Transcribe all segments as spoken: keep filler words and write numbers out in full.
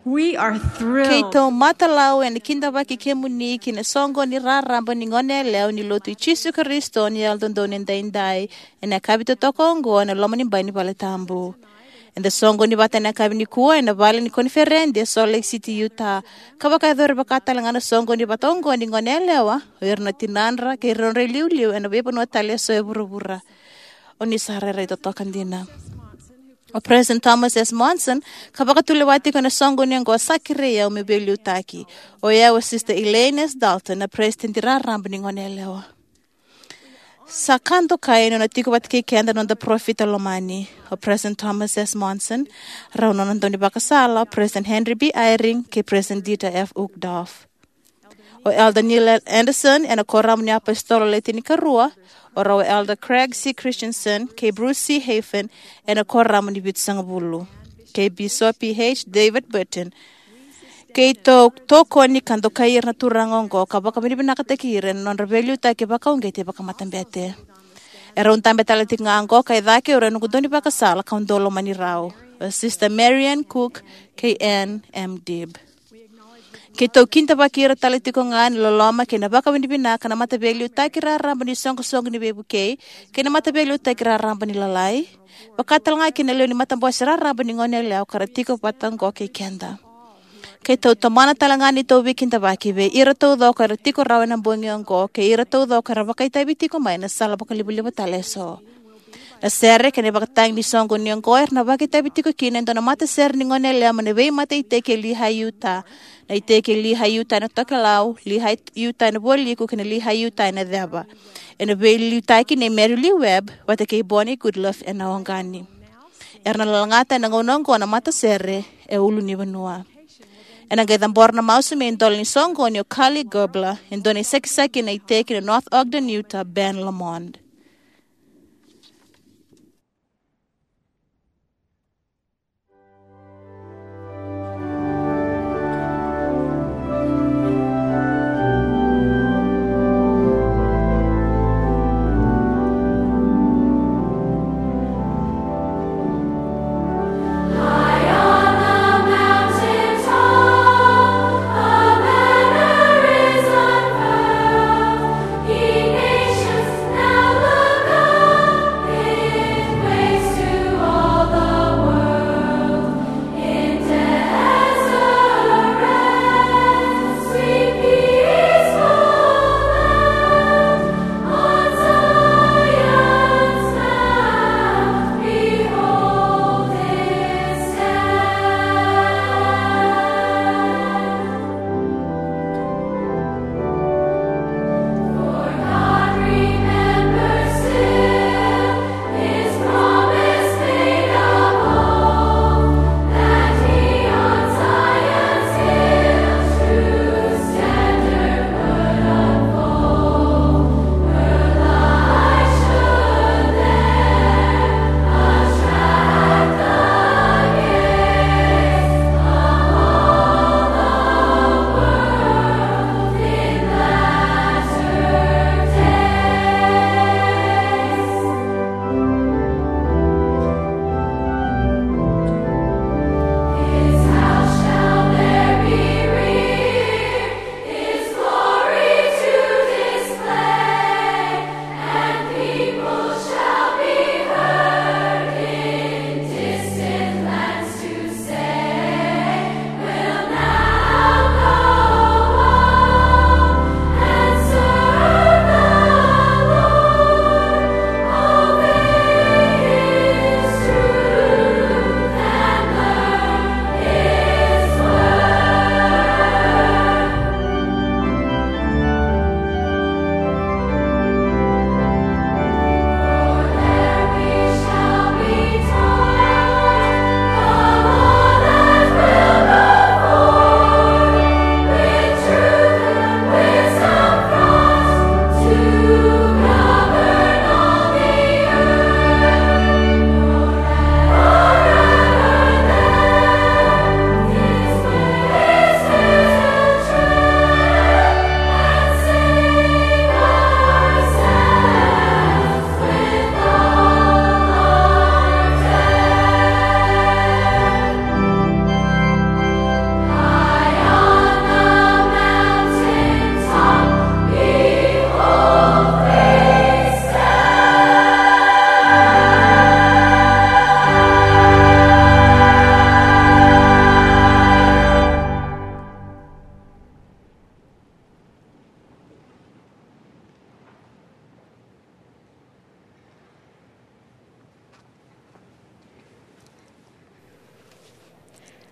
We are thrilled. Keitou matalau ena kidavaki kemuni ki na soqoni raraba ni Goneyalewa ni Lotu i Jisu Karisito ni Yalododonu Edaidai ena yakavi totoka oqo ena loma ni bai ni vale tabu. Eda soqoni vata ena yakavi nikua ena vale ni koniferedi e Salt Lake City, Utah. Ka vakayacori vaka talega na soqoni vata oqo ni Goneyalewa, o ira na tinadra kei ira na nodra iliuliu ena veivanua tale eso e vuravura. O ni sa rairai totoka dina. O President Thomas S. Monson, ka vakatulewa tiko ena soqoni oqo, sa kerei au meu veiliutaki. O yau o Sister Elaine S. Dalton, na President raraba ni Goneyalewa. Sa ka dokai na nona tiko vata kei keda na noda parofita lomani, o President Thomas S. Monson, rau na nona daunivakasala, o President Henry B. Eyring, kei President Dieter F. Uchtdorf. O Elder Neil Andersen ena Kuoramu ni iApositolo Le Tinikarua, o rau o Elder Craig C. Christensen kei Bruce C. Hafen ena Kuoramu ni Vitusagavulu, kei Bisopi H. David Burton. Keitou tokoni ka dokai ira na turaga oqo ka vakavinavinakataki ira ena nodra veiliutaki vakauqeti vakamatabete. E rau dabe tale tiko ga oqo ka i cake o rau na noqu daunivakasala kau dau lomani rau, o Sister Marian Cook kei Ann M. Dibb. Keitou kidavaki ira tale tiko ga ena loloma kei na vakavinavinaka na Mataveiliutaki Raraba ni Soqosoqo ni Veivukei kei na Mataveiliutaki Raraba ni Lalai, vaka talega kina lewe ni matabose raraba ni Goneyalewa ka ra tiko vata oqo kei keda. Keitou tomana talega na neitou veikidavaki vei ira taucoko era tiko rawa ena bogi oqo kei ira taucoko era vakaitavi tiko mai ena sala vakalivaliva tale eso. Na sere kei na ivakatagi ni soqoni oqo era na vakaitavi tiko kina e dua na matasere ni Goneyalewa mai na veimataiiteki e Lehi, Utah. Na iteki e Lehi, Utah ena tokelau, Lehi, Utah ena vualiku kei na Lehi, Utah ena ceva. Ena veiliutaki nei Mary Lee Webb vata kei Bonnie Goodliffe ena oqani. Era na lalagata ena gauna oqo na matasere e ulunivanua. Ena qai cabora na masu me idola ni soqoni o Carly Gerbler, e dua na isakisaki ena iteki na North Ogden, Utah, Ben Lomond.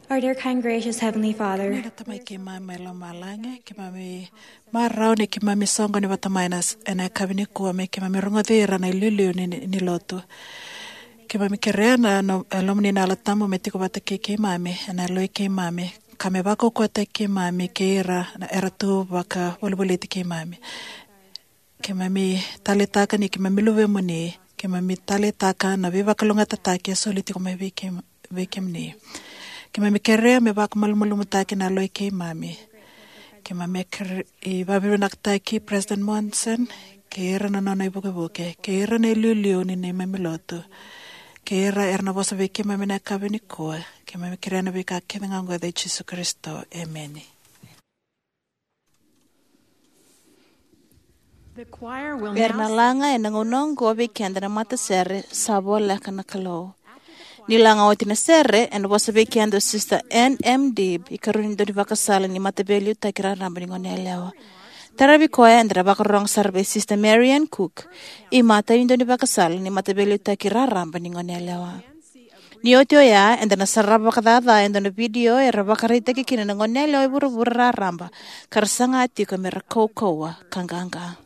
Our dear, kind, gracious Heavenly Father, na Tamai keimami mai lomalagi, keimami marau ni keimami soqoni vata mai na s-, ena yakavi nikua me keimami rogoci ira na iliuliu ni, ni, ni lotu. Keimami kerea na, na, e lomani na Yalo Tabu me tiko vata kei keimami, ena yaloi keimami, ka me vakaukauwataki keimami kei ira na era tu vakavolivoliti keimami. Keimami taleitaka ni keimami luvemuni, keimami taleitaka na veivakalougatataki e soli tiko mai vei keim-, vei kemuni. Keimami kerea me vakamalumalumutaki na yaloi keimami. Keimami kere-, i vakavinavinakataki President Monson, kei ira na nona ivukevuke, kei ira na iliuliu ni neimami lotu, kei ira era na vosa vei keimami na yakavi nikua. Keimami kerea na veika kece ga oqo ena yaca i Jisu Karisito. Emeni. The choir will Era na now laga ena gauna oqo vei keda na matasere Sa Voleka na Kalou. Ni laga oti na sere, ena vosa vei keda o Sister Ann M. Deeb, ikarua ni daunivakasala ni Mataveiliutaki Raraba ni Goneyalewa. Taravi koya eda na vakarorogo sara vei Sister Marian Cook, imatai ni daunivakasala ni Mataveiliutaki Raraba ni Goneyalewa. Ni oti oya, eda na sarava vakacaca e dua na vidio era vakaraitaki kina na goneyalewa e vuravura raraba ka ra saga tiko me ra kaukauwa ka qaqa.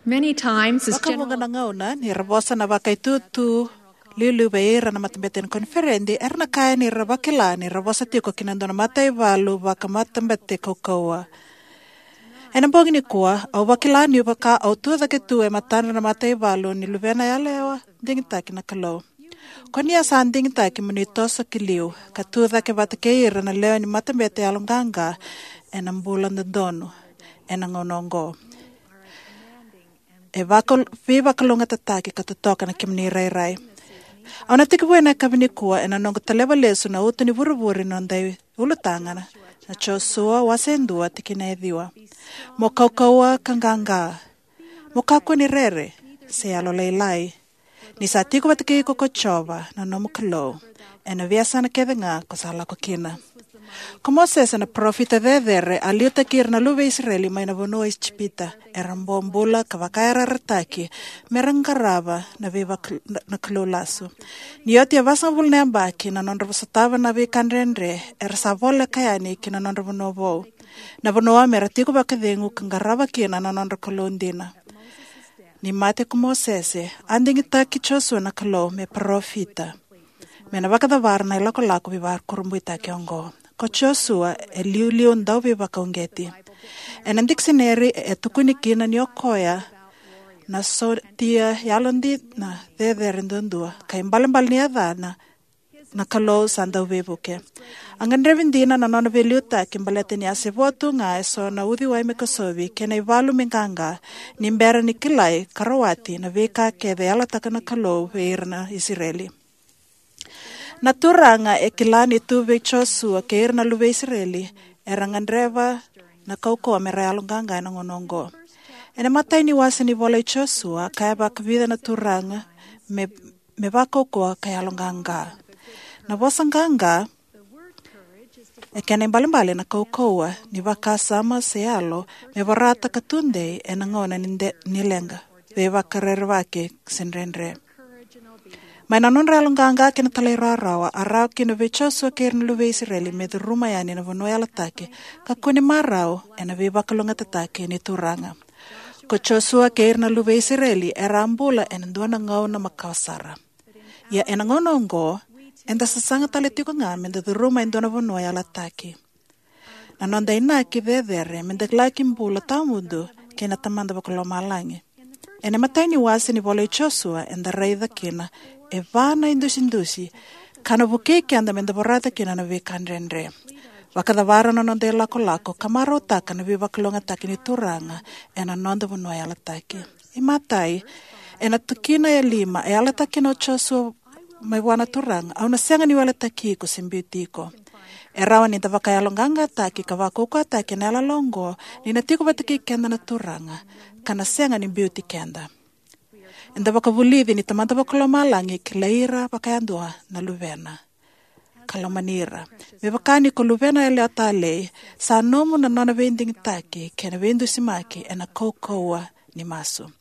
Many times, as Vakavuqa general na gauna ni ra vosa na vakaitutu liuliu vei ira na matabete ni koniferedi, era na kaya ni ra vakila ni ra vosa tiko ki na dua na mataivalu vakamatabete kaukauwa. Ena bogi nikua, au vakila ni vaka au tucake tu e matadra na mataivalu ni luvena yalewa digitaki na Kalou. Ko ni a sa digitaki mo ni toso ki liu ka tucake vata kei ira na lewe ni matabete yaloqaqa ena bula dodonu ena gauna oqo. E vaka, veivakalougatataki ka totoka na kemuni rairai. Au na tekivu ena yakavi nikua ena noqu taleva lesu na uto ni vurevure ni noda ulutaga na, na Josua wase e dua tikina e ciwa. Mo kaukauwa ka qaqa. Mo kakua ni rere, se yalolailai. Ni sa tiko vata kei iko ko Jiova na nomu Kalou ena veiyasana kece ga ko sa lako kina. Ko Mosese na parofita cecere a liutaki ira na luve i Isireli mai na vanua o Ijipita. Era bobula ka vakayarayarataki me ra qarava na veivak-, na, na kalou lasu. Ni oti e vasagavulu na yabaki na nodra sotava na veika dredre, era sa voleka yani ki na nodra vanua vou, na vanua me ra tiko vakacegu ka qarava kina na nodra Kalou dina. Ni mate ko Mosese, a digitaki Josua na Kalou me parofita me na vakacavara na ilakolako veivakurabuitaki oqo. Ko Josua e liuliu dauveivakauqeti. Ena dikisineri e tukuni kina ni o koya na sotia yalodina cecere duadua, ka ibalebale ni yacana na Kalou sa dauveivuke. A gadrevi dina na nona veiliutaki baleta ni a se vo tu ga eso na uciwai me kosovi kei na ivalu me qaqa, ni bera ni kilai ka rawati na veika kece e yalataka na Kalou vei ira na Isireli. Na Turaga e kila ni tu vei Josua kei ira na luve i Isireli era gadreva na kaukauwa me ra yaloqaqa ena gauna oqo. Ena imatai ni wase ni ivola i Josua, a kaya vakavica na Turaga me, me vakaukauwa ka yaloqaqa. Na vosa qaqa e kena ibalebale na kaukauwa ni vakasama se yalo me vorata ka tudei ena gauna ni de-, ni leqa, veivakarerevaki se dredre. Mai na nodra yaloqaqa kei na talairawarawa, a rawa kina vei Josua kei ira na luve i Isireli me curuma yani na vanua yalataki ka kune marau ena veivakalougatataki ni Turaga. Ko Josua kei ira na luve i Isireli era a bula ena dua na gauna makawa sara. Ia ena gauna oqo, eda sasaga tale tiko ga meda curuma e dua na vanua yalataki. Na noda inaki cecere meda laki bula tawamudu kei na Tamada Vakalomalagi. Ena imatai ni wase ni ivola i Josua eda raica kina e va na idusidusi ka na vukei keda meda vorata kina na veika dredre, vakacavara na noda ilakolako ka marautaka na veivakalougatataki ni Turaga ena noda vanua yalataki. Imatai, ena tikina e lima, e yalataki kina o Josua mai vua na Turaga: "Au na sega ni weletaki iko se biuti iko." E rawa ni da vakayaloqaqataki ka vakaukauwataki ena yalayala oqo ni na tiko vata kei keda na Turaga ka na sega ni biuti keda. Eda vakavulici ni Tamada Vakalomalagi e kilai ira vakayadua na luvena ka lomani ira. Me vaka ni ko luvena yalewa talei, sa nomu na nona veidigitaki kei na veidusimaki ena kaukauwa ni masu.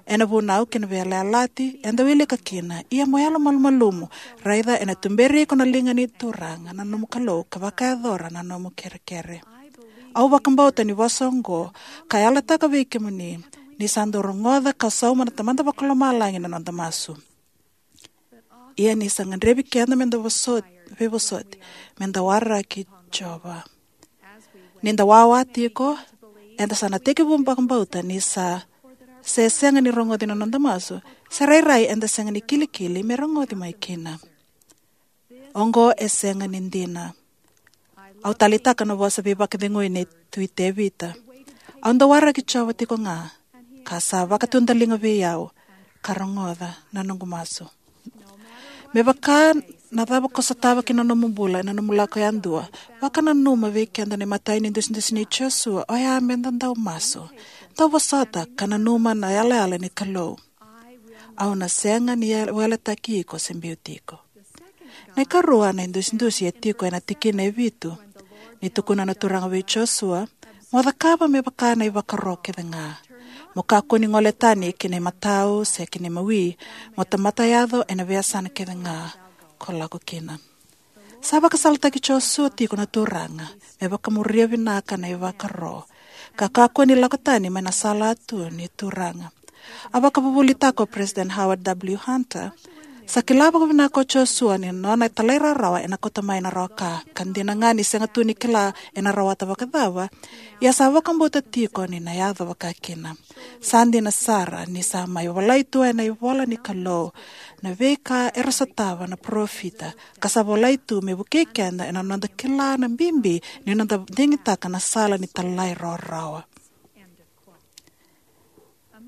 Ena vunau kei na veiyalayalati eda wilika kina, ia mo yalomalumalumu, raica ena tuberi iko na liga ni Turaga na nomu Kalou ka vakayacora na nomu kerekere. Au vakabauta ni vosa oqo ka yalataka vei kemuni ni sa dau rogoca ka sauma na Tamada Vakalomalagi na noda masu. Ia ni sa gadrevi keda meda vosoti, veivosoti, meda waraki Jiova. Ni da wawa tiko, eda sa na tekivu vakabauta ni sa se sega ni rogoci na noda masu, se rairai eda sega ni kilikili me rogoci mai kina. Oqo e sega ni dina. Au taleitaka na vosa veivakacegui nei Tui Tevita: "Au dau waraki Jiova tiko ga, ka sa vakatudaliga vei au ka rogoca na noqu masu." Me vaka na cava ko sotava ki na nomu bula ena nomu lako yadua, vakananuma vei keda na imatai ni dusidusi nei Josua, oya meda dau masu. Dau vosota ka nanuma na yalayala ni Kalou: "Au na sega ni weletaki iko se biuti iko." Na ikarua na idusidusi e tiko ena tikina e vitu. Ni tukuna na Turaga vei Josua: "Mo cakava me vaka na ivakaro kece ga. Mo kakua ni gole tani ki na imatau se ki na imawi, mo tamata yaco ena veiyasana kece ga ko lako kina." Sa vakasalataki Josua tiko na Turaga me vakamuria vinaka na ivakaro ka kakua ni lako tani mai na sala tu ni Turaga. A vakavuvulitaka o President Howard W. Hunter, sa kila vakavinaka o Josua ni nona talairawarawa ena kauta mai na rawa ka, ka dina ga ni sega tu ni kila ena rawata vakacava, ia sa vakabauta tiko ni na yaco vakakina. Sa dina sara ni sa mai volai tu ena ivola ni Kalou na veika era sotava na parofita, ka sa volai tu me vukei keda ena noda kila na bibi ni noda digitaka na sala ni talairawarawa.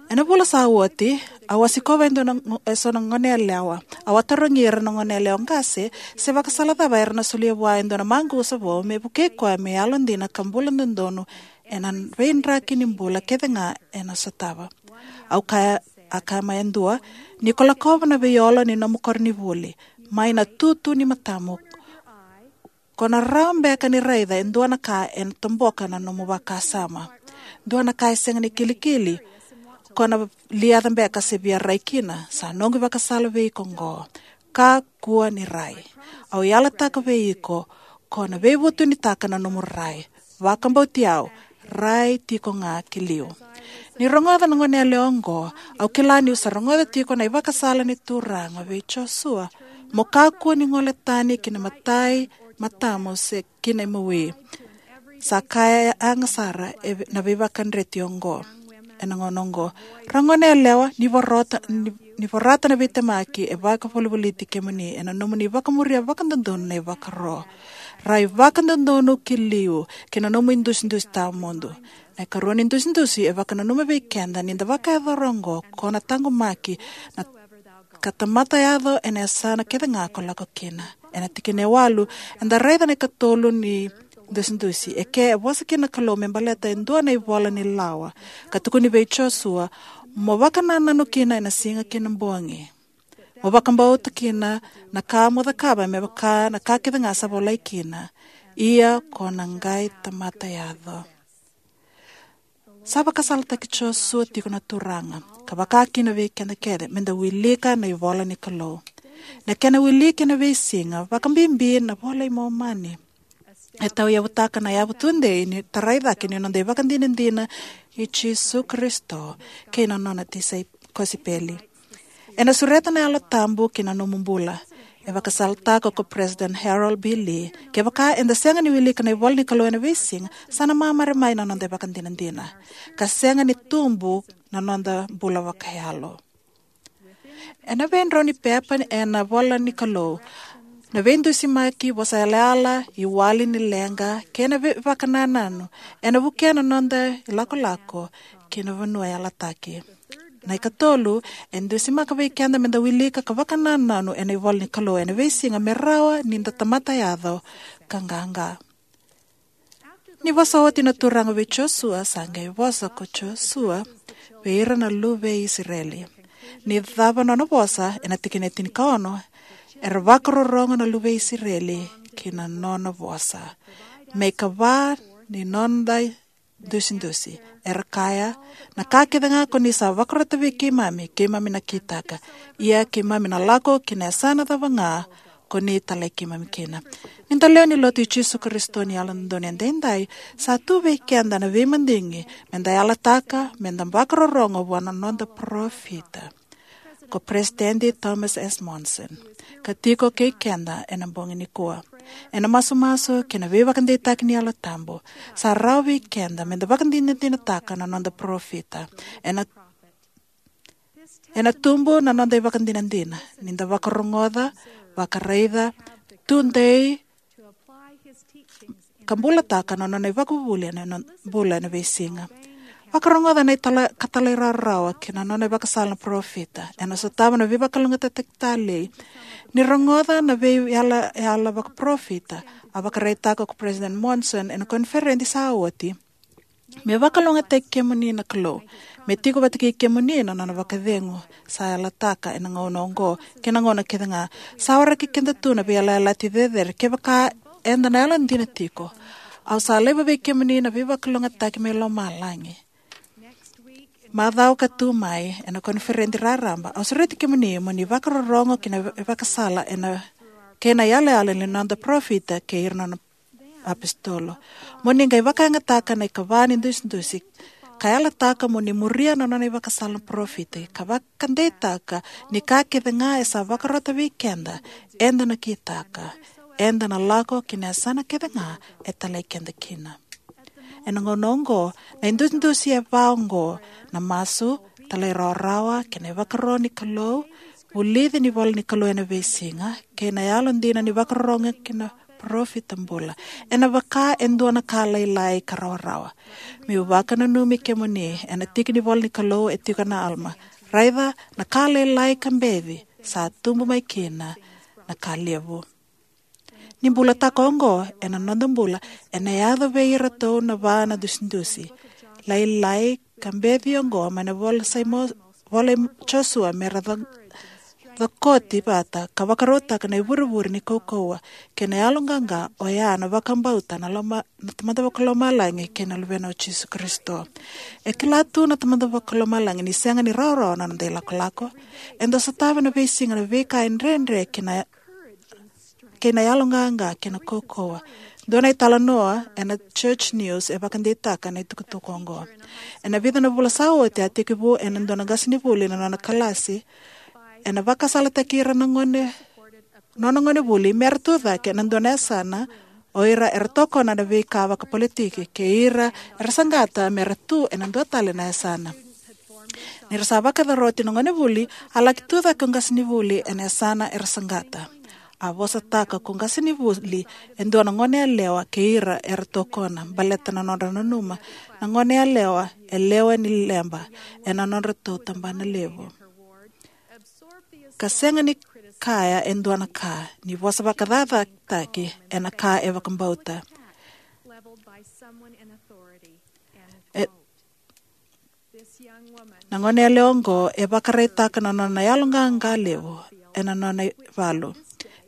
Ena vula sa oti, au a sikova e dua na go-, e so na goneyalewa. Au a tarogi ira na goneyalewa qase se vakasala cava era na solia vua e dua na maqusa vou me vukei koya me yalodina ka bula dodonu ena veidraki ni bula kece ga ena sotava. Au kaya, a kaya mai e dua, ni ko lakova na veiolo ni nomu koronivuli mai na tutu ni matamu, ko na rawa beka ni raica e dua na ka ena toboka na nomu vakasama, dua na ka e sega ni kilikili, ko na liaca beka se via rai kina. Sa noqu ivakasala vei iko oqo. Kakua ni rai. Au yalataka vei iko, ko na veivutunitaka na nomu rai. Vakabauti au, rai tiko ga ki liu. Ni rogoca na goneyalewa oqo, au kila niu sa rogoca tiko na ivakasala ni Turaga vei Josua. Mo kakua ni gole tani ki na imatai matamu se ki na imawi. Sa kaya yaga sara e ve-, na veivakadreti oqo. Ena gauna oqo, ra goneyalewa, ni vorata, ni, ni vorata na veitemaki e vakavolivoliti kemuni ena nomuni vakamuria vakadodonu na ivakaro. Rai vakadodonu ki liu ki na nomu idusidusi tawamudu. Na ikarua ni dusidusi e vakananuma vei keda ni da vakayacora oqo, ko na taqomaki na ka tamata yaco ena yasana kece ga ko lako kina. Ena tikina e walu, eda raica na ikatolu ni dusidusi. E ke e vosa kina na Kalou me baleta e dua na ivola ni lawa, ka tukuni vei Josua, mo vakanananu kina ena siga kei na bogi. Mo vakabauta kina na ka mo cakava me vaka na ka kece ga sa volai kina. Ia ko na qai tamata yaco. Sa vakasalataki Josua tiko na Turaga, ka vaka kina vei keda kece, meda wilika na ivola ni Kalou. Na kena wiliki ena veisiga, vakabibi na iVola i Momani, e tauyavutaka na yavu tudei ni tarai cake ni noda ivakadinadina i Jisu Karisito kei na nona tisaipeli kosipeli. Ena sureta na Yalo Tabu ki na nomu bula. E vakasalataka ko President Harold B. Lee, kevaka eda sega ni wilika na ivola ni Kalou ena veisiga, sa na mamare mai na noda ivakadinadina, ka sega ni tubu na noda bula vakayalo. Ena veidrau ni pepa ena ivola ni Kalou, na veidusimaki, vosa yalayala, iwali ni leqa kei na veivakanananu, ena vukea na noda ilakolako ki na vanua yalataki. Na ikatolu, e dusimaka vei keda meda wilika ka vakanananu ena ivola ni Kalou ena veisiga me rawa ni da tamata yaco ka qaqa. Ni vosa oti na Turaga vei Josua, sa qai vosa ko Josua vei ira na luve i Isireli. Ni cava nona vosa, ena tikina e tinikaono, era vakarorogo na luve i Isireli ki na nona vosa me ikava ni noda idusidusi. Era kaya, na ka kece ga ko ni sa vakarota vei keimami, keimami na kitaka. Ia keimami na lako ki na yasana cava ga ko ni talai keimami kina. Ni da lewe ni Lotu i Jisu Karisito ni Yalododonu Edaidai, sa tu vei keda na veimadigi meda yalataka, meda vakarorogo vua na noda parofita, ko President Thomas S. Monson, ka tiko kei keda ena bogi nikua. Ena masumasu kei na veivakadeitaki ni Yalo Tabu, sa rawa vei keda meda vakadinadinataka na noda parofita. Ena, ena tubu na noda ivakadinadina ni da vakarogoca, vakaraica, tudei, ka bulataka na nona ivakavuvuli ena nona bula ena veisiga. Vakarogoca na itala-, ka talairawarawa kei na nona ivakasala na parofita. Ena sotava na veivakalougatataki talei. Ni rogoca na veiyalayala vakaparofita, a vakaraitaka ko President Monson ena koniferedi sa oti, me vakalougatataki kemuni na Kalou, me tiko vata kei kemuni na nona vakacegu, sa yalataka ena gauna oqo kei na gauna kece ga. Sa waraki keda tu na veiyalayalati cecere kevaka eda na yalodina tiko. Au sa laiva vei kemuni na veivakalougatataki mai lomalagi. Macawa ka tu mai, ena koniferedi raraba, au sureti kemuni mo ni vakarorogo ki na ivakasala ena, kei na yalayala ni noda parofita kei ira na nona apositolo. Mo ni qai vakayagataka na ikava ni dusidusi, ka yalataka mo ni muria na nona ivakasala na parofita, ka vakadeitaka ni ka kece ga e sa vakarota vei keda, eda na kitaka, eda na lako ki na yasana kece ga e talai keda kina. Ena gauna oqo, na idusidusi e va oqo: na masu, talairawarawa kei na ivakaro ni Kalou, vulici ni ivola ni Kalou ena veisiga, kei na yalodina ni vakarorogo ki na parofita bula, ena vaka e dua na ka lailai ka rawarawa. Meu vakananumi kemuni, ena tiki ni ivola ni Kalou e tiko na Alama: Raica, na ka lailai ka beci sa tubu mai kina na ka levu. Ni bulataka oqo ena noda bula, ena yaco vei iratou na va na dusidusi lailai ka beci oqo mai na ivola sa i Mo-, ivola i Josua, me ra co-, cokoti vata ka vakarautaka na ivurevure ni kaukauwa kei na yaloqaqa, oya na vakabauta na loma-, na Tamada Vakalomalagi kei na Luvena o Jisu Karisito. E kila tu na Tamada Vakalomalagi ni sega ni rawarawa na noda ilakolako. Eda sotava na veisiga na veika e dredre kei na, kei na yaloqaqa kei na kaukauwa. Dua na italanoa ena Church News e vakadeitaka na itukutuku oqo. Ena vica na vula sa oti, a tekivu ena dua na qasenivuli na nona kalasi, ena vakasalataki ira na gone, nona gonevuli me ra tu cake ena dua na yasana o ira era tokona na veika vakapolitiki, kei ira era saqata me ra tu ena dua tale na yasana. Ni ra sa vakacoroti na gonevuli, a laki tu cake o qasenivuli ena yasana era saqata. A vosataka ko qasenivuli e dua na goneyalewa kei ira era tokona, baleta na nodra nanuma na goneyalewa e lewe ni leba ena nodratou tabana levu, ka sega ni kaya e dua na ka, ni vosa vakacacataki ena ka e vakabauta. E, na goneyalewa oqo e vakaraitaka na nona yaloqaqa levu ena nona ivalu,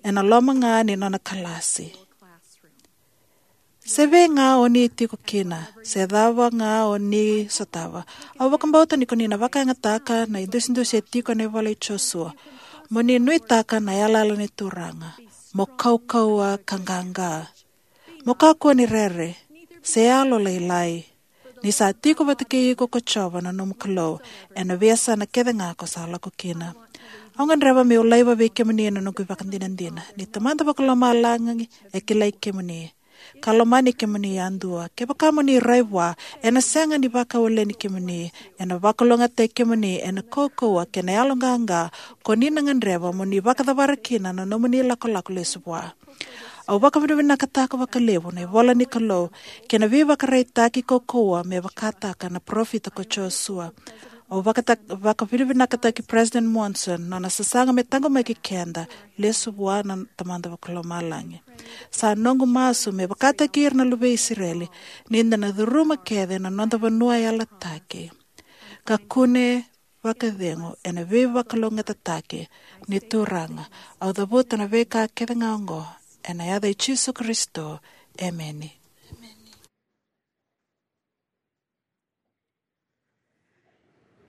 ena loma ga ni nona kalasi. Se vei ga o ni tiko kina, se cava ga o ni sotava, au vakabauta ni ko ni na vakayagataka na idusidusi e tiko ena ivola i Josua. Mo ni nuitaka na yalayala ni Turaga. Mo kaukauwa ka qaqa. Mo kakua ni rere, se yalolailai. Ni sa tiko vata kei iko ko Jiova na nomu Kalou ena veiyasana kece ga ko sa lako kina. Au gadreva meu laiva vei kemuni na noqu ivakadinadina ni Tamada Vakalomalagi e kilai kemuni, ka lomani kemuni yadua. Kevaka mo ni rai vua, ena sega ni vakawaleni kemuni, ena vakalougatataki kemuni ena kaukauwa kei na yaloqaqa ko ni na gadreva mo ni vakacavara kina na nomuni lakolako lesu vua. Au vakavinavinakataka vakalevu na ivola ni Kalou kei na veivakaraitaki kaukauwa me vakataka na parofita ko Josua. Au vakata-, vakavinavinakataki President Monson na nona sasaga me taqomaki keda lesu vua na Tamada Vakalomalagi. Sa noqu masu me vakataki ira na luvei Isireli ni da na curuma kece na noda vanua yalataki, ka kune vakacegu ena veivakalougatataki ni Turaga. Au cavuta na veika kece ga oqo ena yaca i Jisu Karisito. Emeni.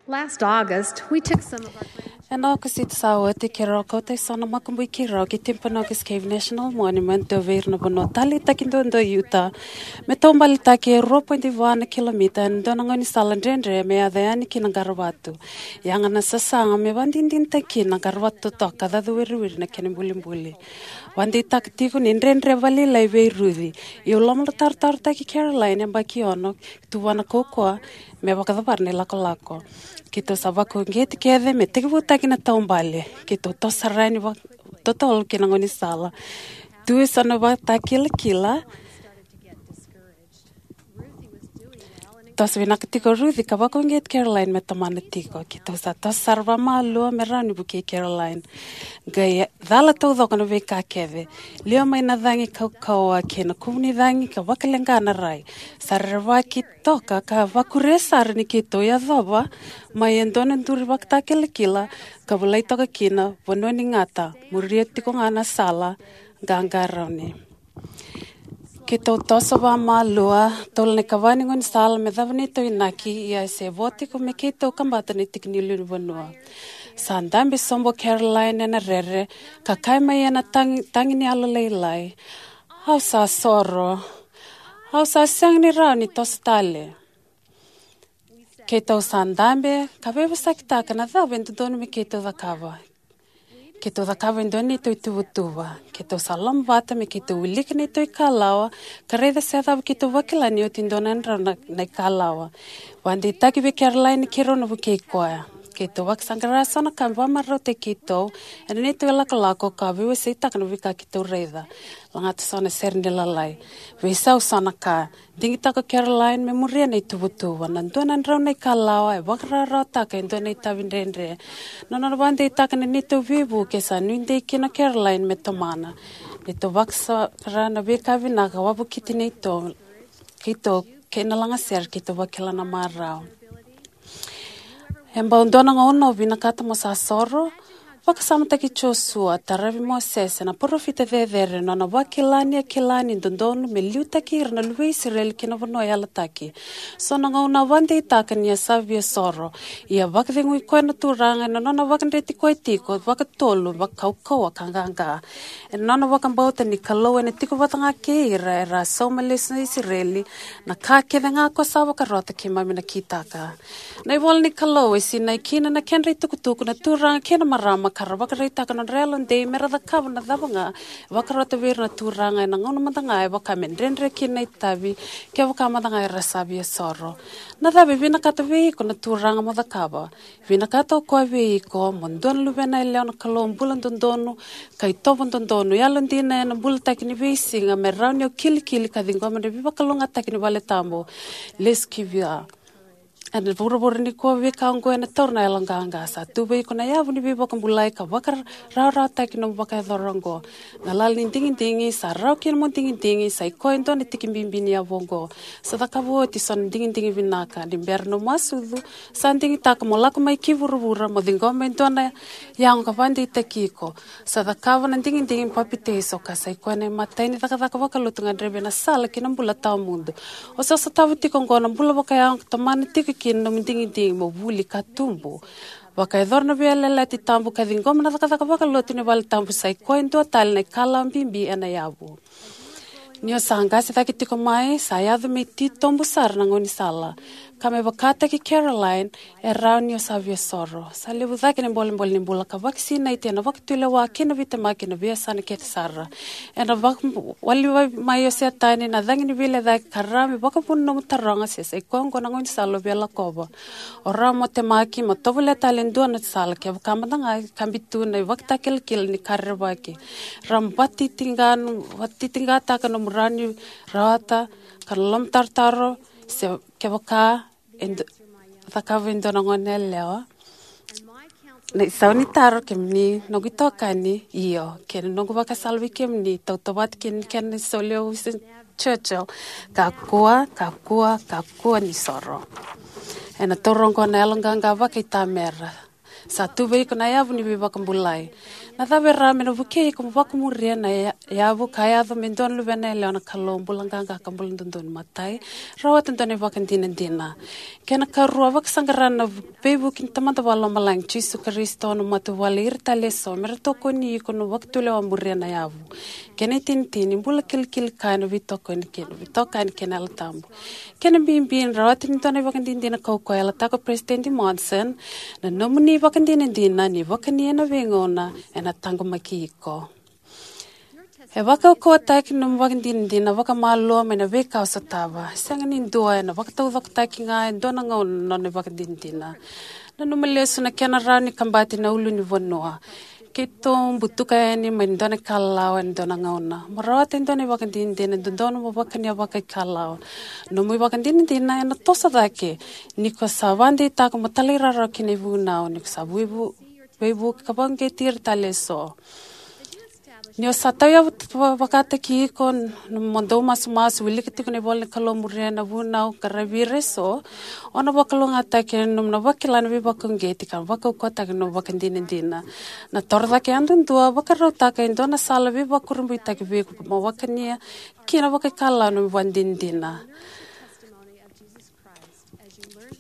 Last August, we took some of our grandchildren. Ena Okosita sa oti, keirau kauta eso na makubui keirau ki Timpanogos Cave National Monument, dua vei ira na vanua taleitaki duadua e Utah, me taubaletaki e rua poidi va na kilomita ena dua na gaunisala dredre me yaco yani ki na qaravatu. Yaga na sasaga me vakadinadinataki kina na qaravatu totoka, cacu wiriwiri na kena ibulibuli. Vakadeitaka tiko ni dredre vakalailai vei Ruci. Ia au lomalotarotarotaki Caroline, yabaki ono, tuvana kaukauwa me vakacavara na ilakolako. Keitou sa vakauqeti kece me tekivutaki na taubale. Keitou toso sara yani vakatotolo ki na gaunisala. Tu eso na ivakatakilakila. Toso vinaka tiko o Ruci ka vakauqeti Caroline me tomana tiko. Keitou sa toso sara vakamalua me rawa ni vukei Caroline. Qai cala taucoko na veika kece. Liwa mai na cagi kaukauwa kei na kuvu ni cagi ka vakaleqa na rai. Sa rerevaki toka ka vakuria sara ni keitou yacova mai e dua na duru ivakatakilakila ka volai toka kina: Vanua ni gata, muria tiko ga na sala, qaqarauni. Keitou toso vakamalua, tolu na ikava ni gaunisala me cava neitou inaki, ia e se vo tiko me keitou kabata na tiki ni lewenivanua. Sa dabe sobu o Caroline ena rere, ka kaya mai ena tagi, tagi ni yalolailai: Au sa soro. Au sa sega ni rawa ni toso tale. Keitou sa dabe ka veivosakitaka na cava e dodonu me keitou cakava. Keitou cakava e dua na neitou ituvatuva. Keitou sa lomavata me keitou wilika na neitou ikalawa ka raica se cava keitou vakila ni oti e dua na drau na, na ikalawa. Vakadeitaki vei Caroline ni keirau na vukei koya. Keitou vakasaqara so na ka me vakamarautaki keitou ena neitou ilakolako ka veiwaseitaka na veika keitou raica. Lagata so na sere ni lalai. Veisau so na ka. Digitaka o Caroline me muria na ituvatuva. Na dua na drau na ikalawa e vakarawarawataka e dua na itavi dredre. Na nona vakadeitaka na neitou veivuke sa nuidei kina o Caroline me tomana. Neitou vakasaqara na veika vinaka wavokiti neitou, keitou kei na lagasere keitou vakila na marau. E bau dua na gauna o vinakata mo sa soro, vakasamataki Josua, taravi Mosese, na parofita cecere, na nona vakila ni a kila ni dodonu me liutaki ira na luve i Isireli ki na vanua yalataki. So na gauna a vakadeitaka ni a sa via soro, ia vakacegui koya na Turaga ena nona vakadreti koya tiko vakatolu, vakaukauwa ka qaqa. Ena nona vakabauta ni Kalou ena tiko vata ga kei ira era a sauma lesu na Isireli, na ka kece ga ko sa vakarota keimami na kitaka. Na ivola ni Kalou e sinai kina na kedra itukutuku na turaga kei na marama ka ra vakaraitaka na nodra yalodei me ra cakava na cava ga e vakarota vei ira na Turaga ena gauna mada ga e vaka me dredre kina na itavi kevaka mada ga era sa via soro. Na cava e vinakata vei iko na Turaga mo cakava? Vinakata o koya vei iko mo dua na luvena yalewa na Kalou bula dodonu, ka itovo dodonu, yalodina ena bulataki ni veisiga me rawa ni o kilikili ka ciqoma na veivakalougatataki ni vale tabu. Lesu ki vua. Ena vuravura nikua veika oqo ena taura na yaloqaqa. Sa tu vei iko na yavu ni veivakabulai ka vakarawarawataki nomu vakayacora oqo. Galala ni digidigi, sa rawa kina mo digidigi, sa i koya e dua na tiki bibi ni yavu oqo. Sa cakava oti so na digidigi vinaka, ni bera nomu a sucu, sa digitaka mo lako mai ki vuravura, mo ciqoma e dua na yago ka vakadeitaki iko. Sa cakava na digidigi papitaiso ka sa i koya na imatai ni cakacaka vakalotu gadrevi ena sala ki na bula tawamudu. O sa sotava tiko oqo na bula vakayago ka tomana tiko kina nomu digidigi mo vuli ka tubu. Vakayacora na veiyalayalati tabu ka ciqoma na cakacaka vakalotu ni vale tabu sa i koya e dua tale na ikalawa bibi ena yavu. Ni o sa qase cake tiko mai, sa yaco me titobu sara na gaunisala. Ka me vakataki Caroline, e rawa ni o sa via soro. Sa levu cake na bolebole ni bula ka vakasinaiti ena vakatulewa kei na veitemaki ena veiyasana kece sara. Ena vakawaliwai mai o Setani na cagi ni veilecayaki ka rawa me vakavuna nomu taroga se sa i koya oqo na gaunisala o via lakova. O rawa mo temaki, mo tovolea tale e dua na sala kevaka mada ga e kabi tu na ivakatakilakila ni ka rerevaki. Rawa mo vatitiqa, vatitiqataka nomu rawa ni rawata, ka na lomatarotaro, se kevaka e du-, cakava e dua na gone yalewa. Na isau ni taro, kemuni noqu itokani, io, kei na noqu vakasala vei kemuni, tautauvata kei na kena isau lewe Winston Churchill, kakua, kakua, kakua ni soro. Ena taura oqo na yaloqaqa vakaitamera. Sa tu vei iko na yavu ni veivakabulai. Na cava e rawa me na vukei iko mo vakamuria na ya-, yavu ka yaco me dua na luvena yalewa na Kalou bula qaqa ka bula dodonu? Matai, rawata dua na ivakadinadina. Kena karua, vakasaqara na veivuke ni Tamada Vakalomalagi, Jisu Karisito, na matavuvale, ira tale eso me ra tokoni iko na vakatulewa muria na yavu. Kena itinitini, bula kilikili kaya na veitokoni kei na veitokani kei na Yalo Tabu. Kena bibi, rawata ni dua na ivakadinadina kaukauwa e yalataka o Peresitedi Monson, na nomuni ivakadinadina ni vakani ena veigauna ena taqomaki iko. E vakaukauwataki na nomu ivakadinadina vakamalua mai na veika o sotava. Sega ni dua ena vakataucokotaki ga e dua na gauna na nona ivakadinadina. Nanuma lesu na kena rawa ni kabati na ulunivanua. Keitou butuka yani mai na dua na ikalawa ena dua na gauna. Mo rawata e dua na ivakadinadina e dodonu mo vakania vakaikalawa. Nomu ivakadinadina ena toso cake ni ko sa vakadeitaka mo talairawarawa ki na ivunau, ni ko sa veivu-, veivuke ka vakauqeti ira tale eso. Ni o sa tauyavu t-, va-, vakataki iko n-, mo dau masumasu, wilika tiko na ivola ni Kalou, muria na vunau, qaravi ira eso, o na vakalougatataki ena nomu na vakila na veivakauqeti ka vakaukauwataki na nomu ivakadinadina. Na toro cake yadudua, vakarautaka e dua na sala veivakurabuitaki vei iko mo vakania kina vakaikalawa na nomu ivakadinadina.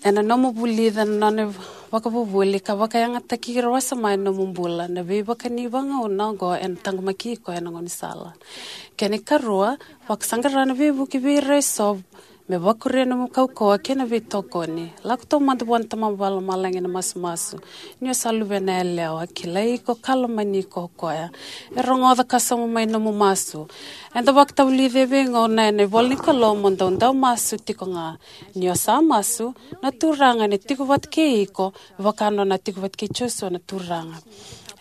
Ena nomu vulica na nona vakavuvuli ka vakayagataki ira wasoma ena nomu bula. Na veivakani vagauna oqo ena taqomaki iko ena gaunisala. Kena ikarua, vakasaqara na veivuke vei ira eso me vakuria nomu kaukauwa kei na veitokoni. Lako taumada vua na Tamada Vakalomalagi ena masumasu. Ni o sa luvena yalewa, kilai iko ka lomani iko o koya. E rogoca ka sauma mai nomu masu. Eda vakatavulica e veigauna ena ivola ni Kalou mo dau dau masu tiko ga. Ni o sa masu, na Turaga ena tiko vata kei iko, vaka nona a tiko vata kei Josua na Turaga.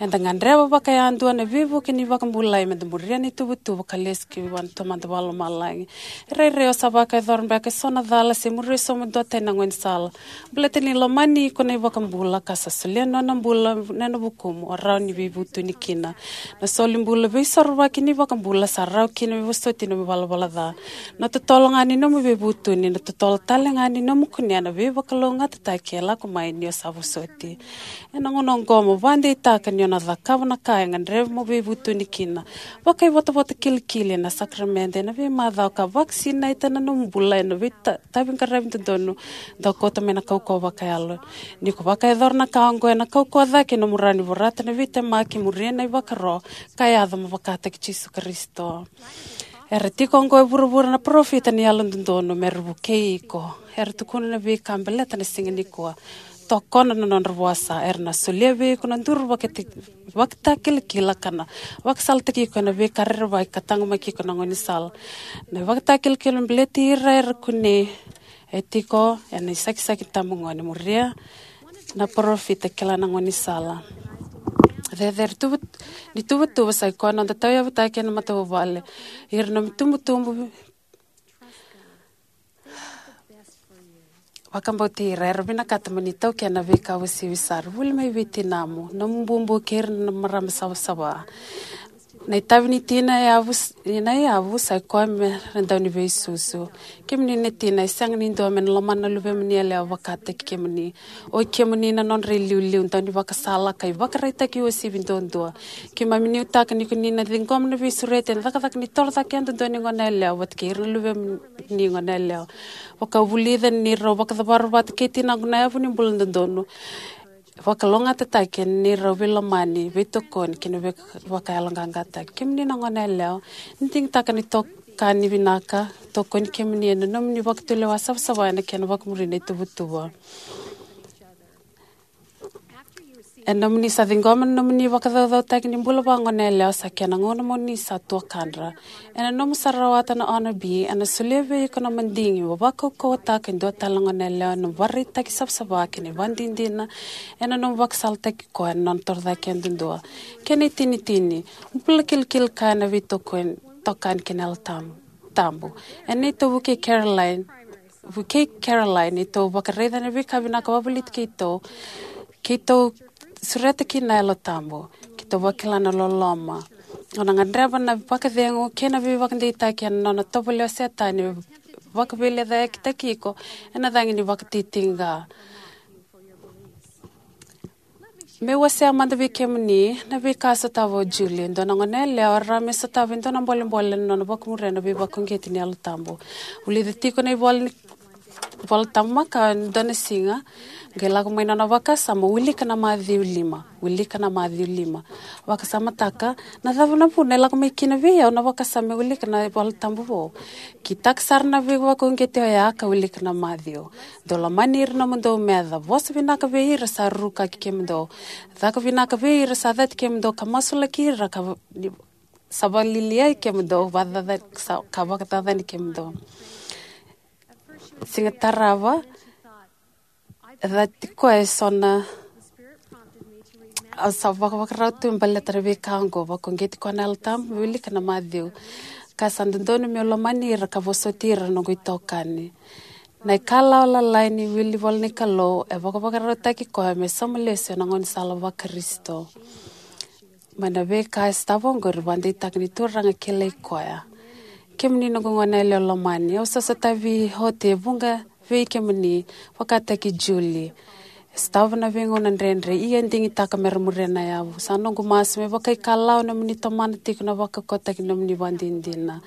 Eda gadreva vakayadua na veivuke ni vakabulai meda muria na ituvatuva ka lesu ki vua na Tamada Vakalomalagi. E rairai o sa vakayacora beka eso na cala se muria eso mo dua tani na gaunisala. Baleta ni lomani iko na iVakabula ka sa solia na nona bula ena vukumu, o rawa ni veivutuni kina. Na solibula veisorovaki ni iVakabula sa rawa kina me vosoti nomu ivalavala ca. Na totolo ga ni nomu veivutuni, na totolo tale ga ni nomu kunea na veivakalougatataki e lako mai ni o sa vosoti. Ena gauna oqo mo vakadeitaka ni o na cakava na ka e gadreva mo veivutuni kina. Vakaivotavota kilikili ena sakaramede ena veimacawa ka vakasinaita na nomu bula ena veitaviqaravi dodonu. Dau kauta mai na kaukauwa vakayalo. Ni ko vakayacora na ka oqo, ena kaukauwa cake nomu rawa ni vorata na veitemaki, muria na ivakaro ka yaco mo vakataki Jisu Karisito. Era tiko oqo e vuravura na parofita ni yalododonu mera vukei iko. Era tukuna na veika baleta na siga nikua. Tokona na nodra vosa, era na solia vei iko na duru vakati-, vakatakilakila ka na vakasalataki iko ena veika rerevaki ka taqomaki iko na gaunisala. Na ivakatakilakila baleti ira era kunei, e tiko ena isakisaki tabu gone, muria na parofita, kila na gaunisala. Cecere tuva-, ni tuvatuva sa ikoya na noda tauyavutaki ena matavuvale. Ira na nomu itubutubu, vakabauti ira, era vinakata mo ni taukena na veika uasivi sara. Vuli mai vei tinamu, nomu bubu kei ira na marama savasava. Na itavi ni tina e yavu s-, na yavu sa ikoya mera dau ni veisusu. Kemuni na tina, e sega ni dua me na lomana na luvemuni yalewa vakataki kemuni. O ikemuni na nodra iliuliu, dau ni vakasala ka ivakaraitaki uasivi duadua. Keimami nuitaka ni ko ni na ciqoma na veisureti ena cakacaka ni torocake yadudua ni gone yalewa vata kei ira na luvemuni gone yalewa. Vakavulica ni rau vakacavara vata kei tinaqu na yavu ni bula dodonu. Vakalougatataki ena neirau veilomani, veitokoni kei na vei-, vakayaloqaqataki. Kemuni na gone yalewa, ni digitaka na itokani vinaka, tokoni kemuni ena nomuni vakatulewa savasava ena kena vakamuri na ituvatuva. Ena nomuni sa ciqoma na nomuni vakacaucautaki ni bula vagone yalewa, sa kena gauna mo ni sa tuakana. Ena nomu sa rawata na Honor B, ena solia vei iko na madigi mo vakaukauwataka e dua tale na gone yalewa ena vakaraitaki savasava kei na ivakadinadina ena nomu vakasalataki koya ena nona torocake yadudua. Kena itinitini, bula kilikili kaya na veitokani, tokani kei na Yalo Tabu, Tabu. Ena neitou vukei Caroline, vukei Caroline, neitou vakaraica na veika vinaka vakavoliti keitou, keitou sureta kina na Yalo Tabu, keitou vakila na loloma. O na gadreva na vakacegu kei na veivakadeitaki ena nona tovolea o Setani me vakaveilecayakitaki iko ena cagi ni vakatitiqa. Meu wasea mada vei kemuni na veika a sotava o Julie, e dua na gone yalewa e rawa me sotava e dua na bolebole ena nona vakamuria na veivakauqeti ni Yalo Tabu. Vulica tiko na ivola ni, Vola Tabu makawa e dua na siga, qai lako mai na nona vakasama, wilika na Maciu lima, wilika na Maciu lima. Vakasamataka, na cava na vuna e lako mai kina vei au na vakasama me wilika na iVola Tabu vou? Kitaka sara na veivakauqeti oya ka wilika na Maciu. Dou lomani ira na nomudou meca, vosa vinaka vei ira sa rukaki kemudou, caka vinaka vei ira sa cati kemudou, ka masulaki ira ka va-, ni-, sa vakalialiai kemudou, vakacaca-, sa-, ka vakacacani kemudou. Siga tarava, e cati koya eso na, a sa vakavakarau tu me baleta na veika oqo, vakauqeti koya na Yalo Tabu, me wilika na Maciu. Ka sa dodonu meu lomani ira ka vosoti ira na noqu itokani. Na ikalawa lalai ni wili ivola ni Kalou e vakavakarautaki koya me sauma lesu ena gaunisala vaKarisito. Mai na veika e sotava oqori, vakadeitaka ni Turaga kilai koya. Kemuni noqu gone yalewa lomani, au sa sotavi oti e vuqa vei kemuni, vakataki Julie. E sotava na veigauna dredre, ia e digitaka me ra muria na yavu. Sa noqu masu me vakaikalawa na nomuni tomana tiko na vakaukauataki ni nomuni vakadinadina.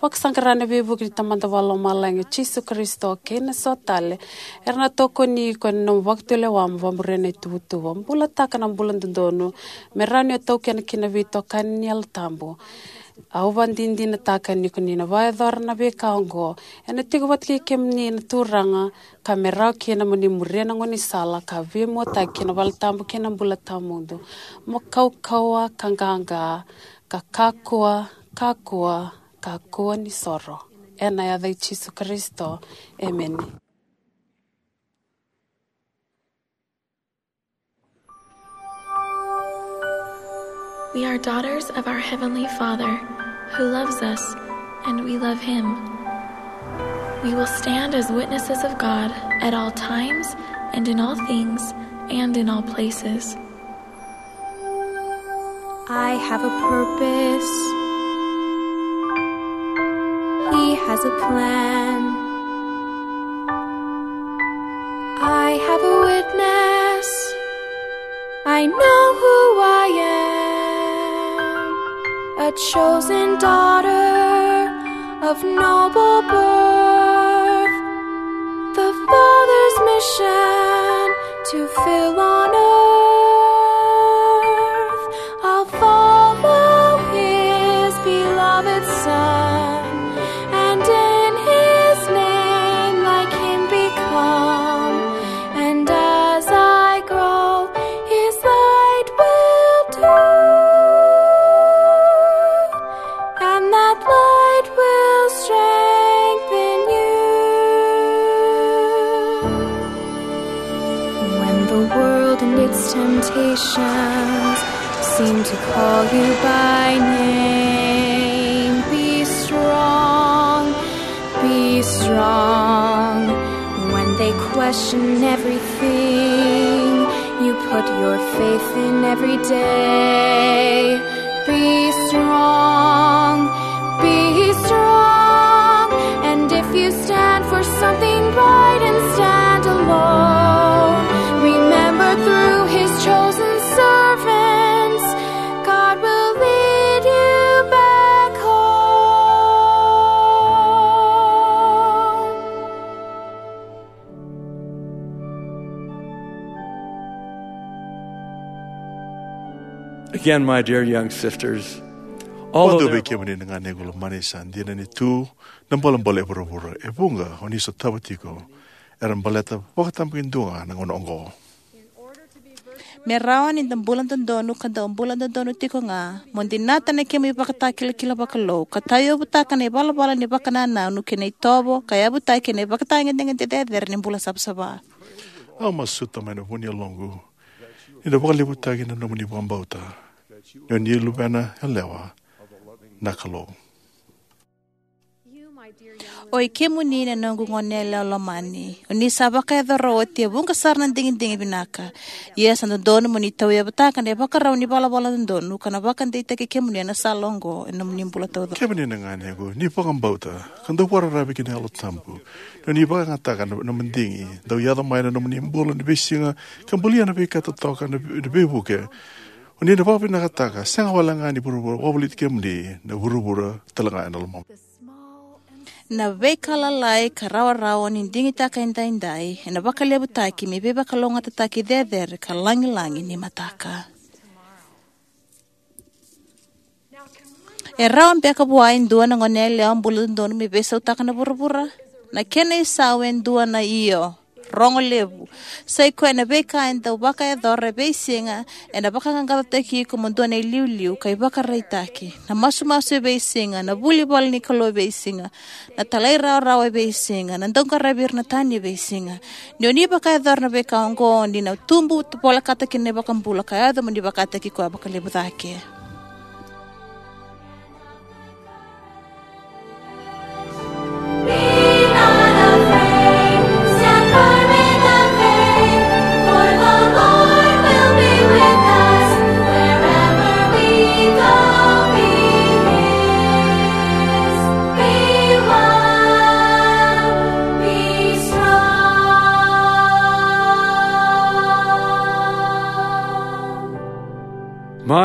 Vakasaqara na veivuke ni Tamada Vakalomalagi, o Jisu Karisito, kei na so tale era na tokoni iko ena nomu vakatulewa mo vakamuria na ituvatuva. Bulataka na bula dodonu me rawa ni o taukena kina na veitokani ni Yalo Tabu. Au vakadinadinataka ni ko ni na vakayacora na veika oqo, ena tiko vata kei kemuni na Turaga, ka me rawa kina mo ni muria na gaunisala ka veimuataki ki na valetabu kei na bula tawamudu. Mo kaukauwa ka qaqa, ka kakua, kakua, kakua ni soro. Ena yaca i Jisu Karisito. Emeni. We are daughters of our Heavenly Father, who loves us, and we love Him. We will stand as witnesses of God at all times and in all things and in all places. I have a purpose. He has a plan. I have a witness. I know who I am. A chosen daughter of noble birth. The Father's mission to fill on earth. I'll follow His beloved Son, and in His name like Him become. And as I grow, His light will do, and that light will strengthen you. When the world and its temptations seem to call you by name, be strong, be strong. When they question everything you put your faith in every day, be strong, be strong. And if you stand for something right and stand alone, remember through His chosen servants, God will lead you back home. Again, my dear young sisters, all vakadua vei kemuni na ganequ lomani, sa dina ni tu na bolebole e vuravura. E vuqa o ni sotava tiko era baleta vakatabakidua ga na gauna oqo. Me rawa ni da bula dodonu ka dau bula dodonu tiko ga, mo dinata na kemu ivakatakilakila vakalou ka tauyavutaka na ivalavala ni vakanananu kei na itovo ka yavutaki ena ivakatagedegede cecere ni bula savasava. Au masuta mai na vu ni yaloqu ni na vakalevutaki na nomuni vakabauta ni o ni luvena yalewa na Kalou. O i kemuni na noqu goneyalewa lomani, o ni sa vakayacora oti e vuqa sara na digidigi vinaka. Ia sa dodonu mo ni tauyavutaka na ivakarau ni valavala dodonu ka na vakadeitaki kemuni ena sala oqo ena nomuni bula taucoko. Kemuni na ganequ, ni vakabauta ka dau vakararavi ki na Yalo Tabu, ni o ni vakayagataka na, na madigi dau yaco mai na nomuni bula ni veisiga ka bulia na veika totoka, na, na veivuke. O ni na vakavinakataka, sega wale ga ni vuravura, vakavoliti kemuni na vuravura tale ga ena lomamuni. Na veika lalai ka rawarawa o ni digitaka edaidai ena vakalevutaki me veivakalougatataki cecere ka lagilagi ni mataka. E rawa beka vua e dua na goneyalewa bula dodonu me veisautaka na vuravura? Na kena isau e dua na io rogo levu. Sa i koya na veika e dau vakayacora e veisiga ena vakaqaqacotaki iko mo dua na iliuliu ka ivakaraitaki. Na masumasu e veisiga, na vuli vale ni Kalou e veisiga, na talairawarawa e veisiga, na dauqaravi ira na tani e veisiga. Ni o ni vakayacora na veika oqo, ni na tubu volekata kina na iVakabula ka yaco mo ni vakataki koya vakalevu cake.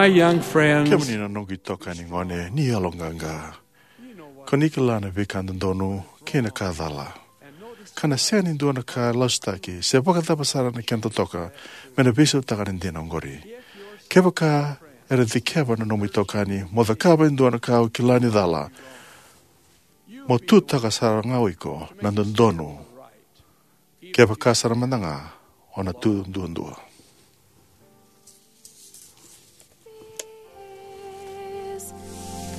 My young friends, kemuni na noqu itokani gone ni yaloqaqa, ko ni kila na veika dodonu kei na ka cala. Ka na sega ni dua na ka lasutaki se vakacava sara na kena totoka me na veisautaka na dina oqori. Kevaka era dikeva na nomu itokani mo cakava e dua na ka o kila ni cala, mo tutaka sara ga o iko na dodonu. Kevaka sara mada ga o na tu duadua.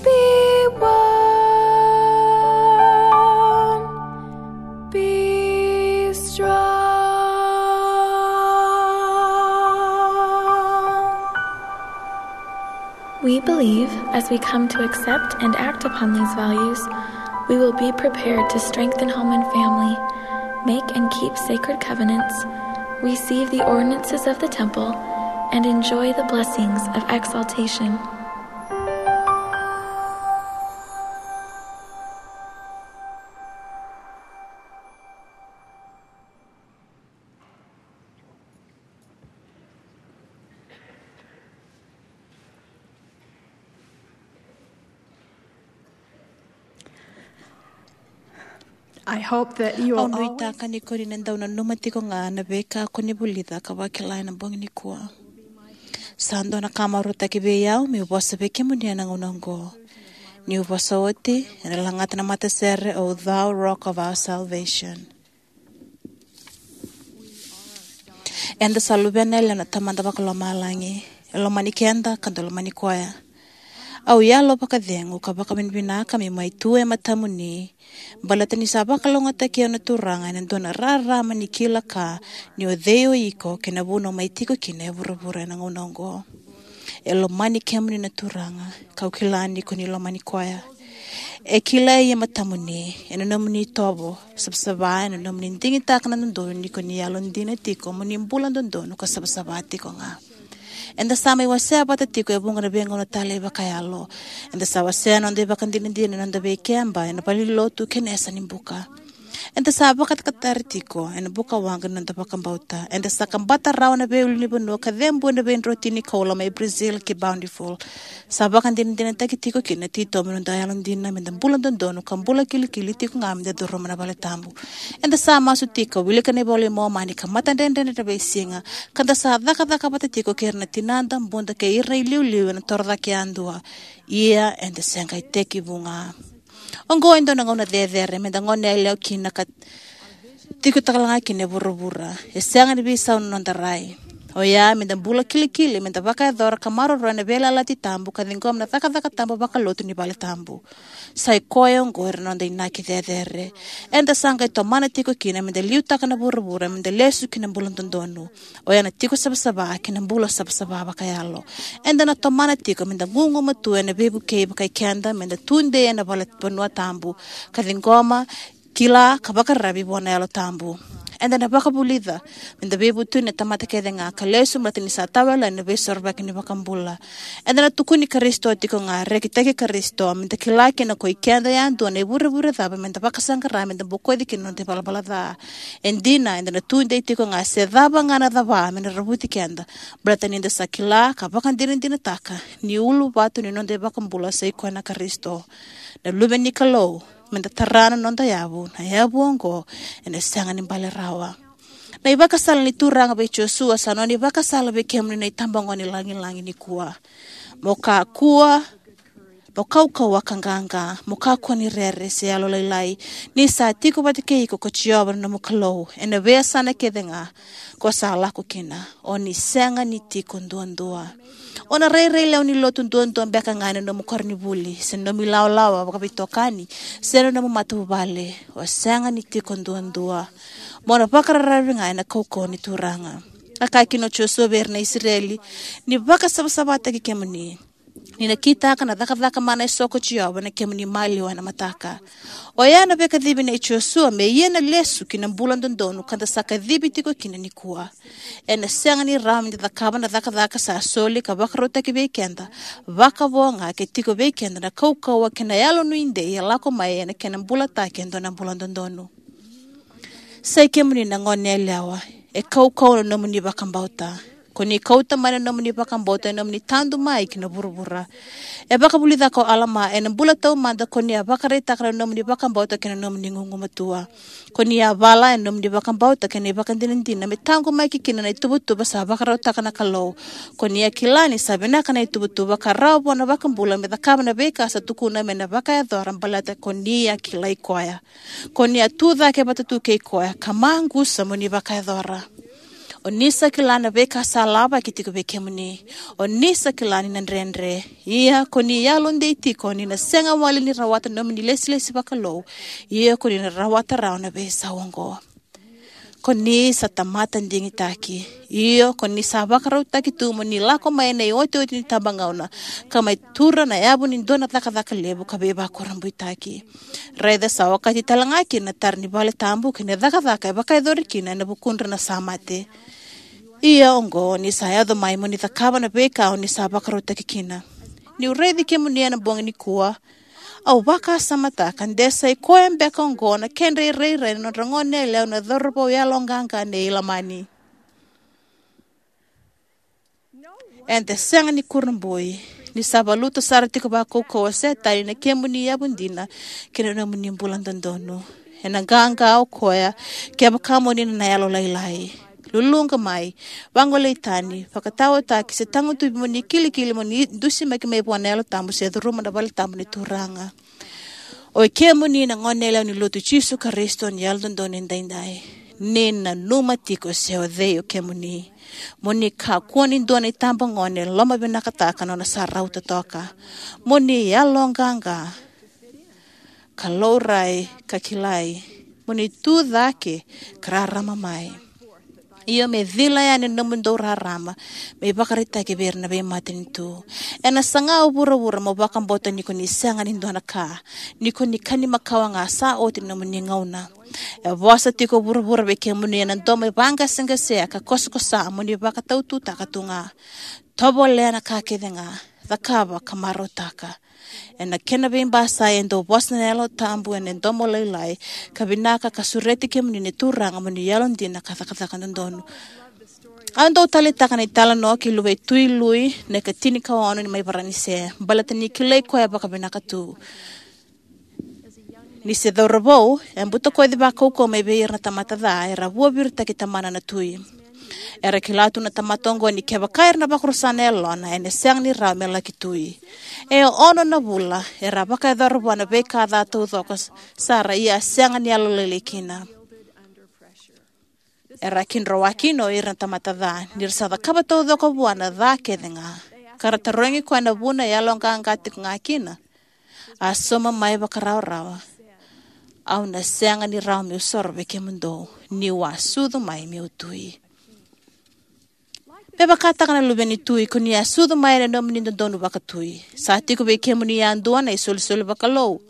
Be warm, be strong. We believe, as we come to accept and act upon these values, we will be prepared to strengthen home and family, make and keep sacred covenants, receive the ordinances of the temple, and enjoy the blessings of exaltation. I hope that you Au will always nuitaka ni ko ni na dau nanuma tiko ga na veika ko ni vulica ka vakila ena bogi nikua. Sa dua na ka marautaki vei au meu vosa vei kemuni ena gauna oqo. Niu vosa oti, ena lagata na matasere o Thou Rock of Our Salvation. Eda sa luvena yalewa na Tamada Vakalomalagi. E lomani keda ka da lomani koya. Au yalo vakacegu ka vakavinavinaka meu mai tu e matamuni, baleta ni sa vakalougatataki au na Turaga ena dua na rarama ni kila ka ni o cei o iko kei na vuna o mai tiko kina e vuravura ena gauna oqo. E lomani kemuni na Turaga, kau kila ni ko ni lomani koya. E kilai e matamuni, ena nomuni itovo savasava, ena nomuni digitaka na dodonu ni ko ni yalodina tiko mo ni bula dodonu ka savasava tiko ga. Eda sa mai wasea vata tiko e vuqa na veigauna talei vakayalo. Eda sa wasea na noda ivakadinadina ena noda veikeba, ena valenilotu kei na yasa ni buka. Eda sa vakatakataraki tiko ena buka waqa ni noda vakabauta. Eda sa kabata rawa na veiulunivanua ka cebu ena veidrotini koula mai Brazil ki Bountiful. Sa vakadinadinataki tiko kina na titobu ni noda yalodina meda bula dodonu ka bula kilikili tiko ga meda curuma na vale tabu. Eda sa masu tiko, wilika na iVola i Momani ka matadredredre ena veisiga, ka da sa cakacaka vata tiko kei ira na tinada, buda kei ira na iliuliu ena torocake yadua. Ia eda se qai tekivu ga. Oqo e dua na gauna cecere meda gone yalewa kina ka tiko talega kina e vuravura. E sega ni veisau na noda rai. Oya meda bula kilikili, meda vakayacora ka maroroya na veiyalayalati tabu ka ciqoma na cakacaka tabu vakalotu ni vale tabu. Sa i koya oqori na noda inaki cecere. Eda sa qai tomana tiko kina meda liutaka na vuravura, meda lesu ki na bula dodonu. Oya na tiko savasava kei na bula savasava vakayalo. Eda na tomana tiko meda gugumatua ena veivukei vakai keda, meda tudei ena vale vanua tabu, ka ciqoma, kila ka vakararavi vua na Yalo Tabu. Eda na vakavulica meda veivutuni na tamata kece ga ka lesu, baleta ni sa tawayalani na veisorovaki ni vakabula. Eda na tukuni Karisito tiko ga, rekitaki Karisito, meda kila kina ko i keda yadua na ivurevure cava meda vakasaqara meda bokoci kina na noda ivalavala ca. E dina, eda na tudei tiko ga se cava ga na cava me na ravuti keda, baleta ni da sa kila ka vakadinadinataka ni uluvatu ni noda ivakabula sa i koya na Karisito, na Luve ni Kalou, meda tara na noda yavu, na yavu oqo ena sega ni bale rawa. Na ivakasala ni Turaga vei Josua sa nona ivakasala vei kemuni na itabagone lagilagi nikua. Mo kakua, mo kaukauwa ka qaqa, mo kakua ni rere se yalolailai, ni sa tiko vata kei iko ko Jiova na nomu Kalou ena veiyasana kece ga ko sa lako kina. O ni sega ni tiko duadua. O na rairai lewe ni lotu duadua beka ga ena nomu koronivuli, se na nomu ilawalawa vakaveitokani, se na nomu matavuvale. O sega ni tiko duadua. Mo na vakararavi ga ena kaukauwa ni Turaga. A kaya kina o Josua vei ira na Isireli, ni vakasavasavataki kemuni, ni na kitaka na cakacaka mana eso ko Jiova na kemuni maliwa ena mataka. Oya na veikacivi nei Josua me ia na lesu ki na bula dodonu ka da sa kacivi tiko kina nikua. Ena sega ni rawa meda cakava na cakacaka sa soli ka vakarautaki vei keda, vakavo ga ke tiko vei keda na kaukauwa kei na yalonuidei e lako mai ena kena bulataki e dua na bula dodonu. Sa i kemuni na gone yalewa, e kaukauwa na nomuni vakabauta. Ko ni kauta mai na nomuni vakabauta e nomuni tadu mai ki na vuravura. E vakavulica ko Alama, ena bula taumada ko ni a vakaraitaka na nomuni vakabauta kei na nomuni gugumatua. Ko ni a vala ena nomuni vakabauta kei na ivakadinadina me taqomaki kina na ituvatuva sa vakarautaka na Kalou. Ko ni a kila ni sa vinaka na ituvatuva ka rawa vua na iVakabula me cakava na veika sa tukuna me na vakayacora baleta ko ni a kilai koya. Ko ni a tu cake vata tu kei koya ka maqusa mo ni vakayacora. O ni sa kila na veika sa lavaki tiko vei kemuni. O ni sa kila ni na dredre. Ia ko ni yalodei tiko ni na sega wale ni rawata na nomuni lesilesi vakalou. Ia ko ni na rawata rawa na veisau oqo. Ko ni sa tamata digitaki. Io, ko ni sa vakarautaki tu mo ni lako mai ena iotioti ni tabagauna, ka mai tura na yavu ni dua na cakacaka levu ka veivakurabuitaki. Raica sa okati tale ga kina na tara ni vale tabu kei na cakacaka e vakayacori kina ena vukudra na sa mate. Ia oqo, ni sa yaco mai mo ni cakava na veika o ni sa vakarautaki kina. Niu raici kemuni ena bogi nikua, au vakasamataka de sa i koya beka oqo na kedra irairai na nodra goneyalewa na cauravou yaloqaqa nei Lamani. Eda sega ni kurabui ni sa valuta sara tiko vakaukauwa o Setani na kemuni yavudina kei na nomuni bula dodonu. Ena qaqa o koya kevaka mo ni na yalolailai. Luluqa mai, vagolei tani, vakataotaki se tagutuvi mo ni kilikili mo ni dusimaki mai vua na Yalo Tabu se curuma na vale tabu ni Turaga. O i kemuni na goneyalewa ni Lotu i Jisu Karisito ni Yalododonu Edaidai, ni nanuma tiko se o cei o kemuni. Mo ni kakua ni dua na itabagone lomavinakataka nona sa rauta toka. Mo ni yaloqaqa, ka laurai, ka kilai. Mo ni tu cake ka rarama mai. Io, me cila yani na nomudou rarama me ivakaraitaki vei ira na veimatanitu. Ena saga o vuravura mo vakabauta ni ko ni sega ni dua na ka, ni ko ni kani makawa ga, sa oti na nomuni gauna. E vosa tiko o vuravura vei kemuni ena domo e vaqaseqasea ka kosakosa mo ni vakataututaka tu ga. Tovolea na ka kece ga, cakava ka marautaka. Ena kena veibasai e dau vosa na Yalo Tabu ena domo lailai ka vinaka ka sureti kemuni na Turaga mo ni yalodina ka cakacaka dodonu. Au dau taleitaka na italanoa kei luvei Tui Lui na ikatini ka ono ni mai Varanise, baleta ni kilai koya vakavinaka tu. Ni se cauravou, e butakoci vakaukauwa mai vei ira na tamata ca era vuaviritaki tamana na tui. Era kila tu na tamata oqo ni kevaka era na vakarusa na yalona, ena sega ni rawa me laki tui. E ono na vula era a vakayacora vua na veika ca taucoko sara, ia a sega ni yalolailai kina. Era a kidrowa kina o ira na tamata ca ni ra sa cakava taucoko vua na ca kece ga, ka ra tarogi koya na vuna e yaloqaqa tiko ga kina. A sauma mai vakarawarawa, "Au na sega ni rawa meu soro vei kemudou, niu a sucu mai meu tui." Me vakataka na luve ni tui, ko ni a sucu mai ena nomuni dodonu vakatui. Sa tiko vei kemuni yadua na isolisoli vakalou.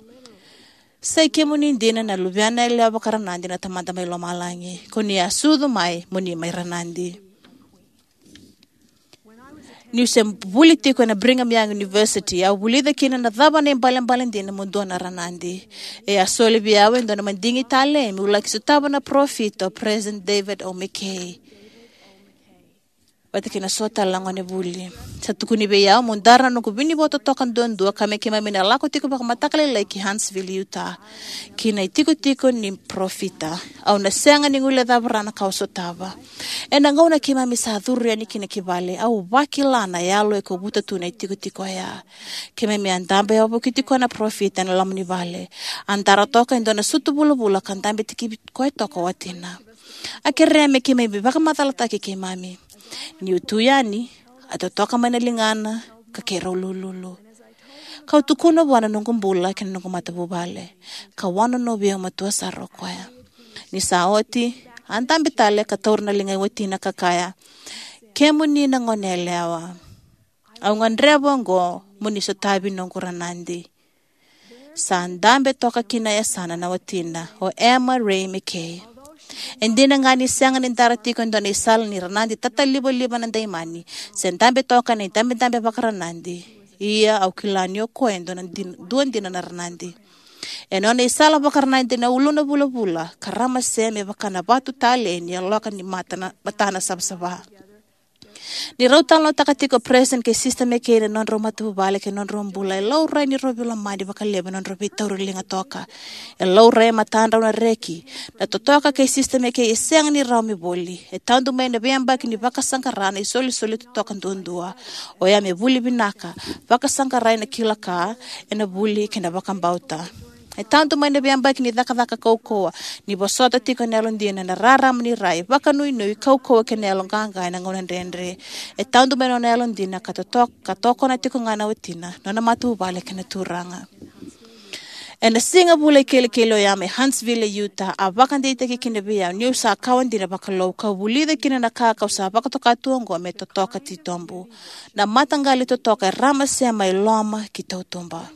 Sa i kemuni dina na luvena yalewa vakaranadi na Tamada mai lomalagi. Ko ni a sucu mai mo ni mai ranadi. Niu se vuli tiko ena Brigham Young University, au vulica kina na cava na ibalebale dina mo dua na ranadi. E a soli vei au e dua na madigi talei meu laki sotava na parofita o President David O. McKay vata kei na so tale na gonevuli. Sa tukuni vei au meu dara na noqu vinivo totoka duadua ka me keimami na lako tiko vakamataka lailai ki Huntsville, Utah, ki na itikotiko ni parofita. Au na sega ni guilecava rawa na ka au sotava. Ena gauna keimami sa curu yani kina ki vale, au vakila na yalo e kovuta tu na itikotiko oya. Keimami a dabe wavokiti koya na parofita ena loma ni vale. A dara toka e dua na sutu vulavula ka dabe tikivi koya toka o watina. A kerea me keimami vakamacalataki keimami. Niu tu yani, a totoka mai na ligana ka keirau lululu. Kau tukuna vua na noqu bula kei na noqu matavuvale, ka wanonovi au matua sara o koya. Ni sa oti, a dabe tale ka taura na ligai watina ka kaya, "Kemuni na goneyalewa, au gadreva oqo mo ni sotavi noqu ranadi." Sa dabe toka ki na yasana na watina, o Emma Ray McKay. E dina ga ni sega ni dara tiko e dua na isala ni ranadi tatalivaliva na daimani se dabe toka ena idabedabe vakaranadi, ia au kila ni o koya e dua na din-, dua dina na ranadi. E nona isala vakaranadi na uluna vulavula ka ramase me vaka na vatu talei ni yaloka ni mata na, matana savasava. Ni rau talanoataka tiko o Peresitedi kei Sisita McKay na nodrau matavuvale kei na nodrau bula, e laurai ni rau veilomani vakalevu ena nodrau veitauri liga toka. E laurai e matadrau na reki. Na totoka kei Sisita McKay e sega ni rawa me voli. E tadu mai na veiyabaki ni vakasaqara na isolisoli totoka duadua. Oya me vuli vinaka, vakasaqarai na kila ka, ena vuli kei na vakabauta. E tadu mai na veiyabaki ni cakacaka kaukauwa, ni vosota tiko ena yalodina na rarama ni rai, vakanuinui, kaukauwa kei na yaloqaqa ena gauna dredre. E tadu mai na nona yalodina ka totoka, ka tokona tiko ga na watina, nona matavuvale kei na Turaga. Ena siga vula ikelekele oya mai Huntsville e Utah, a vakadeitaki kina vei au niu sa kawa dina vakalou, kau vulica kina na ka kau sa vakatoka tu oqo me totoka titobu. Na mataqali totoka e ramase mai loma ki tautuba.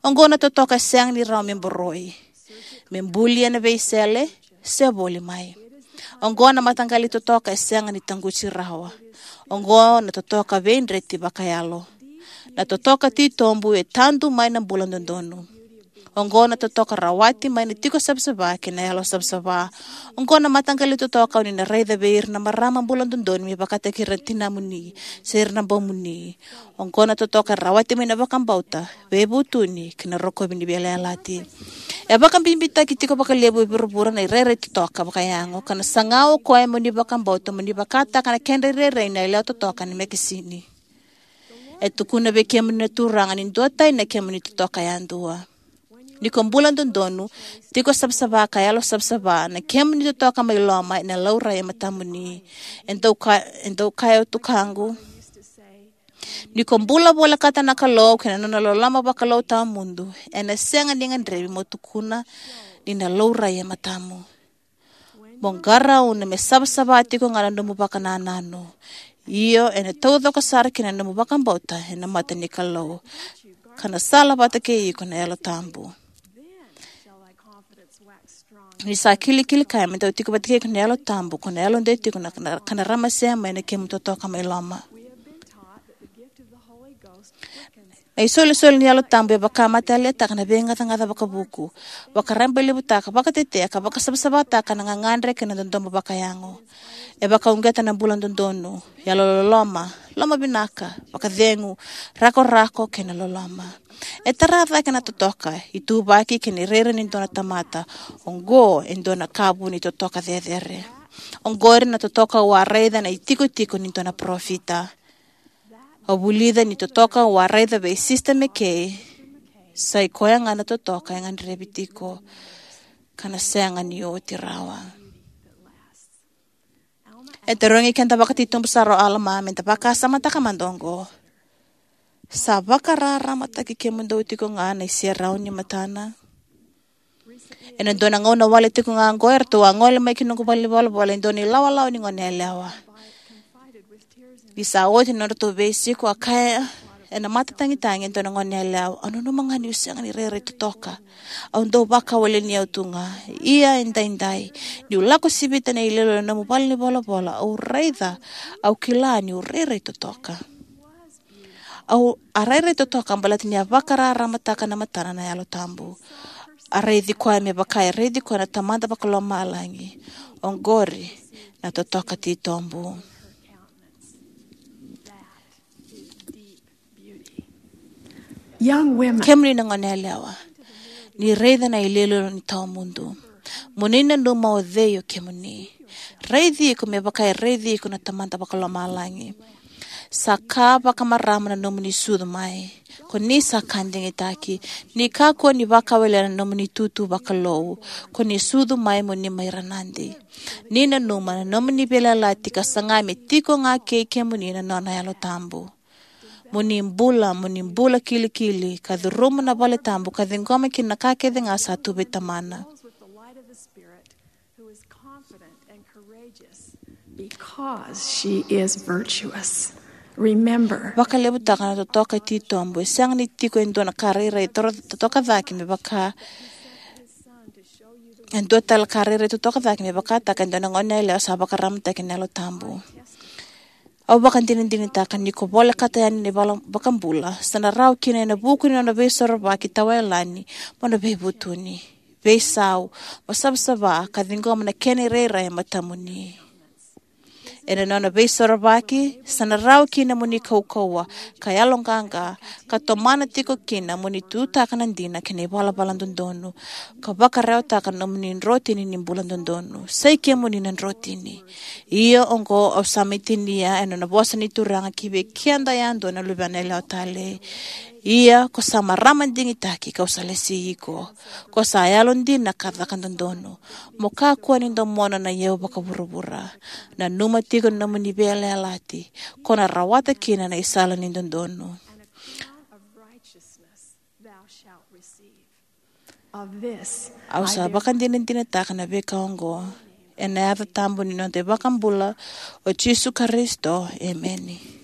Oqo na totoka e sega ni rawa me boroi, me buli ena veisele, se voli mai. Oqo na mataqali totoka e sega ni taquti rawa. Oqo na totoka veidreti vakayalo. Na totoka titobu e tadu mai na bula dodonu. Oqo na totoka rawati mai na tiko savasava kei na yalo savasava. Oqo na mataqali totoka o ni na raica vei ira na marama bula dodonu me vakataki ira na tinamuni se ira na baumuni. Oqo na totoka e rawati mai na vakabauta, veivutuni kei na rokovi ni veiyalayalati. E vakabibitaki tiko vakalevu e vuravura na irairai totoka vakayago, ka na saga o koya mo ni vakabauta mo ni vakataka na kedra irairai na yalewa totoka ena mekesini. E tukuna vei kemuni na Turaga ni duatani na kemuni totoka yadua. Ni ko bula dodonu, tiko savasava ka yalo savasava, na kemuni totoka mai loma ena laurai e matamuni. E dau ka, e dau kaya o tukaqu, ni ko bula volekata na Kalou kei na nona loloma vakalou tawamudu, ena sega ni gadrevi mo tukuna ni na laurai e matamu. Mo qarauna me savasava tiko ga na nomu vakanananu. Io, ena taucoko sara kina na nomu vakabauta ena mata ni Kalou, ka na sala vata kei iko na Yalo Tabu. Ni sa kilikili kaya me dau tiko vata kei iko na Yalo Tabu, ko na yalodei tiko na, na, ka na ramase mai na kemu totoka mai loma. Na isolisoli ni Yalo Tabu e vakamataivalataka na veigacagaca vakavuku, vakarabailevutaka, vakatetea ka vakasavasavataka na gagadre kei na dodomo vakayago. E vakauqeta na bula dodonu, yalololoma, lomavinaka, vakacegu, rakorako kei na loloma. E tara cake na totoka, ituvaki kei na irairai ni dua na tamata. Oqo e dua na ka vu ni totoka cecere. Oqori na totoka au a raica ena itikotiko ni dua na parofita. Au vulica ni totoka au a raica vei Sisita McKay, sa i koya ga na totoka e gadrevi tiko, ka na sega ni oti rawa. E tarogi keda vakatitobu sara o Alama me da vakasamataka mada oqo. Sa vakararamataki kemudou tiko ga na iserau ni matana? Ena dua na gauna wale tiko ga oqo, eratou a gole mai ki noqu valenivolavola e dua na ilawalawa ni goneyalewa. Ni sa oti na nodratou veisiko, a kaya ena matatagitagi e dua na goneyalewa, "Au nanuma ga niu sega ni rairai totoka. Au dau vakawaleni au tu ga. Ia edaidai, niu lako sivita na iloilo ni nomu valenivolavola, au raica, au kila niu rairai totoka." Au a rairai totoka baleta ni a vakararamataka na matana na Yalo Tabu. A raici koya me vaka e raici koya na Tamada Vakalomalagi. Oqori na totoka titobu. Young women. Kemuni na goneyalewa, ni raica na iloilo ni tawamudu. Mo ni nanuma o cei o kemuni. Raici iko me vaka e raici iko na Tamada Vakalomalagi. Sa ka vakamarama na nomuni sucu mai. Ko ni sa ka digitaki. Ni kakua ni vakawalena na nomuni tutu vakalou. Ko ni sucu mai mo ni mai ranadi. Ni nanuma na nomuni veiyalayalati ka saga me tiko ga kei kemuni na nona Yalo Tabu. Mo ni bula, mo ni bula kilikili, ka curuma na vale tabu, ka ciqoma kina na ka kece ga sa tu vei Tamana. Because she is virtuous. Remember. Vakalevutaka na totoka titobu, e sega ni tiko e dua na ka rairai toro-, totoka cake me vaka, e dua tale ka rairai totoka cake me vakataka e dua na goneyalewa sa vakaramataki na Yalo Tabu. Au vakadinadinataka ni ko volekata yani na iVakabula, sa na rawa kina ena vuku ni nona veisorovaki tawayalani mo na veivutuni, veisau, mo savasava ka ciqoma na kena irairai e matamuni. Ena nona veisorovaki, sa na rawa kina mo ni kaukauwa, ka yaloqaqa, ka tomana tiko kina mo ni tutaka na dina kei na ivalavala dodonu, ka vakarewataka na nomuni drotini ni bula dodonu. Sa i kemuni na drotini. Ia oqo au sa mai tinia ena nona vosa ni Turaga ki vei keda yadua na luvena yalewa talei. Ia ko sa marama digitaki, kau sa lesi iko. Ko sa yalodina ka caka dodonu. Mo kakua ni domona na iyau vakavuravura. Nanuma tiko na nomuni veiyalayalati, ko na rawata kina na isala ni dodonu. Of this Au sa I bear vakadinadinataka na veika oqo, ena yaca tabu ni noda iVakabula, o Jisu Karisito. Emeni.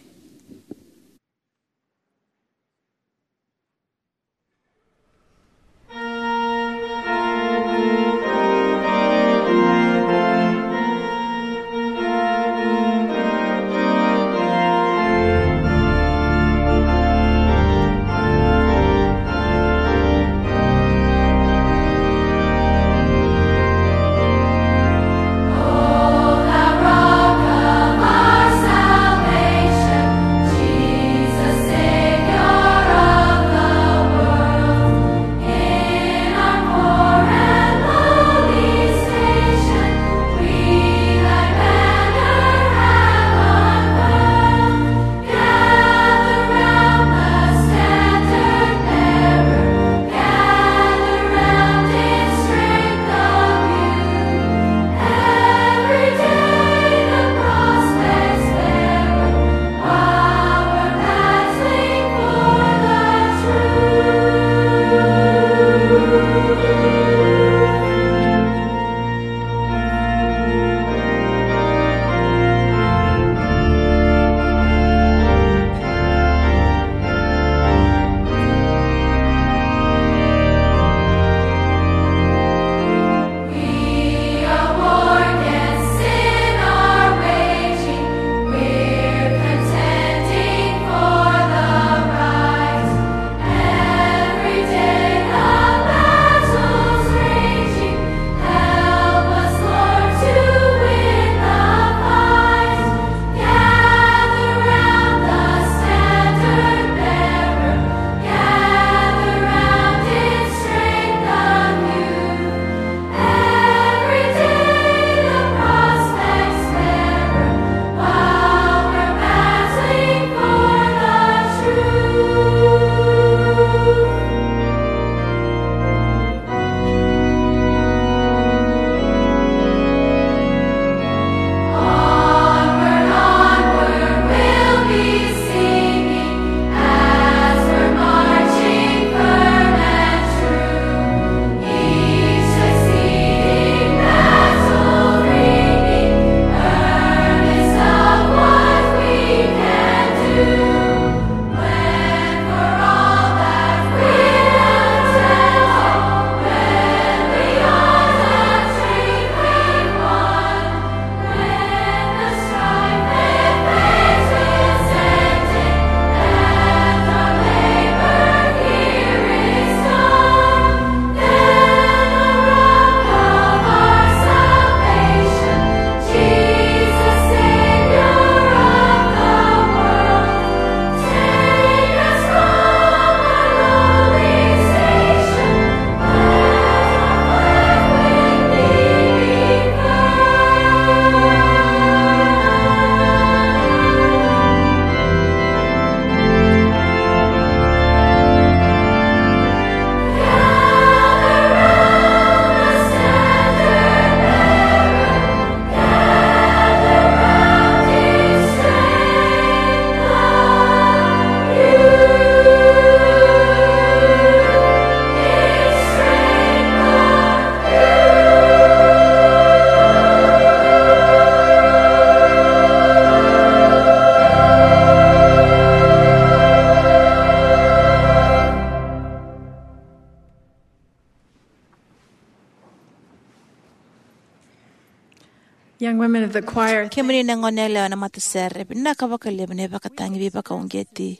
Young women of the choir, kemuni na gone yalewa na matasere, vinaka vakalevu na ivakatagi veivakauqeti.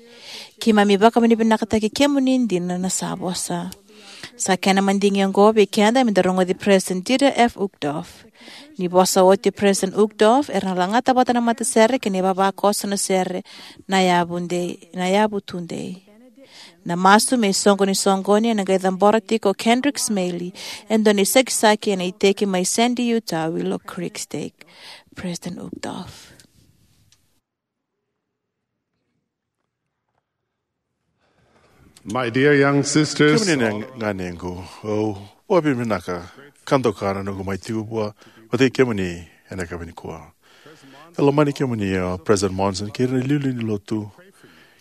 Keimami vakavinavinakataki kemuni dina na sa vosa. Sa kena madigi oqo vei keda me da rogoci President Dieter F. Uchtdorf. Ni vosa oti o President Uchtdorf, era na lagata vata na matasere kei na ivavakoso na sere na yavu dei, na yavu tudei. Na masu me isoqoni soqoni ena qai cabora tiko o Kendrick Smaley, e dua na isakisaki ena iteki mai Sandy, Utah, Willow Creek Stake. President Uchtdorf. My dear young sisters, kemuni na ganequ, au vakavinavinaka ka doka na noqu mai tiko vua vata kei kemuni ena yakavi nikua. E lomani kemuni o President Monson kei ira na iliuliu ni lotu,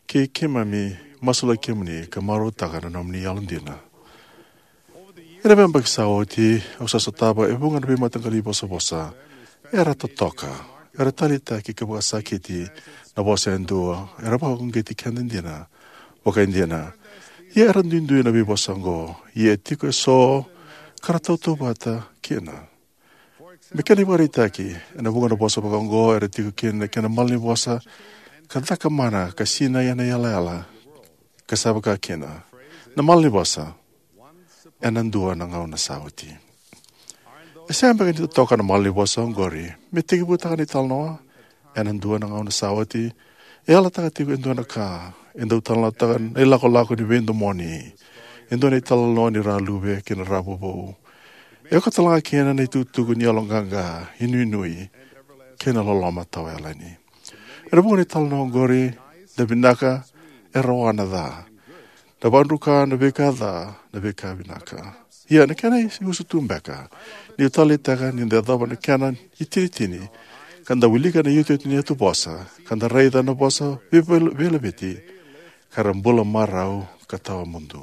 kei keimami masulaki kemuni ka marautaka na nomuni yalodina. Ena veiyabaki sa oti, au sa sotava e vuqa na veimataqali ivosavosa era totoka, era taleitaki ka vakasakiti na vosa e dua, era vakauqeti keda dina vakaidina. Ia era duidui na veivosa oqo, ia e tiko eso ka ra tautauvata kina. Me kena ivakaraitaki, ena vuqa na vosa vaka oqo era tiko kina na kena malanivosa ka cakamana ka sinai ena yalayala, ka sa vaka kina na malanivosa, ena dua na gauna sa oti. E sega beka ni totoka na malanivosa oqori me tekivutaka na italanoa, ena dua na gauna sa oti. E yalataka tiko e dua na ka, e dau talanoataka na ilakolako ni veidomoni, e dua na italanoa ni raluve kei na ravovou. E oka tale ga kina na itukutuku ni yaloqaqa, inuinui, kei na loloma tawayalani. Ena vuqa na italanoa oqori, na vinaka e rawa na ca, na vakadruka na veika ca, na veika vinaka. Ia na kena iusutu beka, ni taleitaka ni da yacova na kena itinitini, ka da wilika na iotioti ni yatuvosa, ka da raica na vosa veivel-, veilaveti, ka ra bula marau ka tawamudu.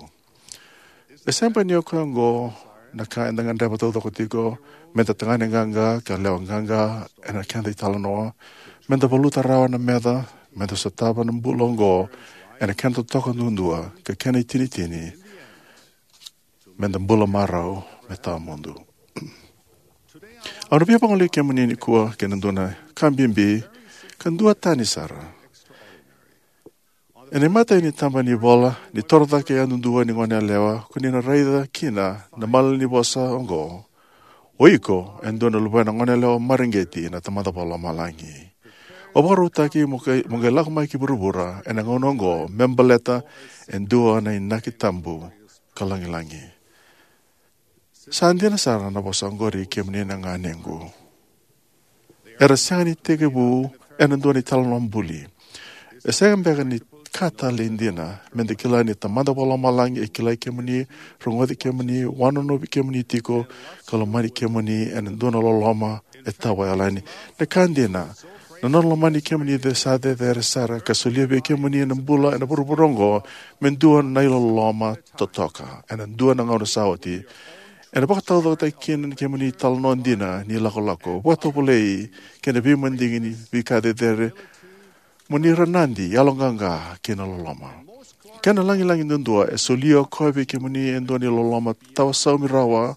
E sega beka ni o koya oqo na ka eda gadreva taucoko tiko, me da tagane qaqa ka lewa qaqa ena keda italanoa, me da valuta rawa na meca, me da sotava na bula oqo ena kena totoka duadua ka kena itinitini, me da bula marau me tawamudu. Au na via vagolei kemuni nikua kei na dua na ka bibi ka duatani sara. Ena imatai ni taba ni vola ni torocake yadudua ni goneyalewa, ko ni na raica kina na malanivosa oqo: O iko e dua na luvena goneyalewa mareqeti na Tamada Vakalomalagi. O vakarautaki mo qai, mo qai lako mai ki vuravura ena gauna oqo me baleta e dua na inaki tabu ka lagilagi. Sa dina sara na vosa oqori, kemuni na ganequ. Era sega ni tekivu ena dua na italanoa buli. E sega beka ni ka talei dina me da kila ni Tamada Vakalomalagi e kilai kemuni, rogoci kemuni, wanonovi kemuni tiko, ka lomani kemuni ena dua na loloma e tawayalani. Na ka dina, na nona lomani kemuni e sa cecere sara ka solia vei kemuni na bula ena vuravura oqo me dua na iloloma totoka ena dua na gauna sa oti. Ena vakataucokotaki kina ni kemuni italanoa dina ni lakolako, vakatovolei, kei na veimadigi ni veika cecere, mo ni ranadi, yaloqaqa kei na loloma. Kena lagilagi duadua, e solia o koya vei kemuni e dua na iloloma tawasaumi rawa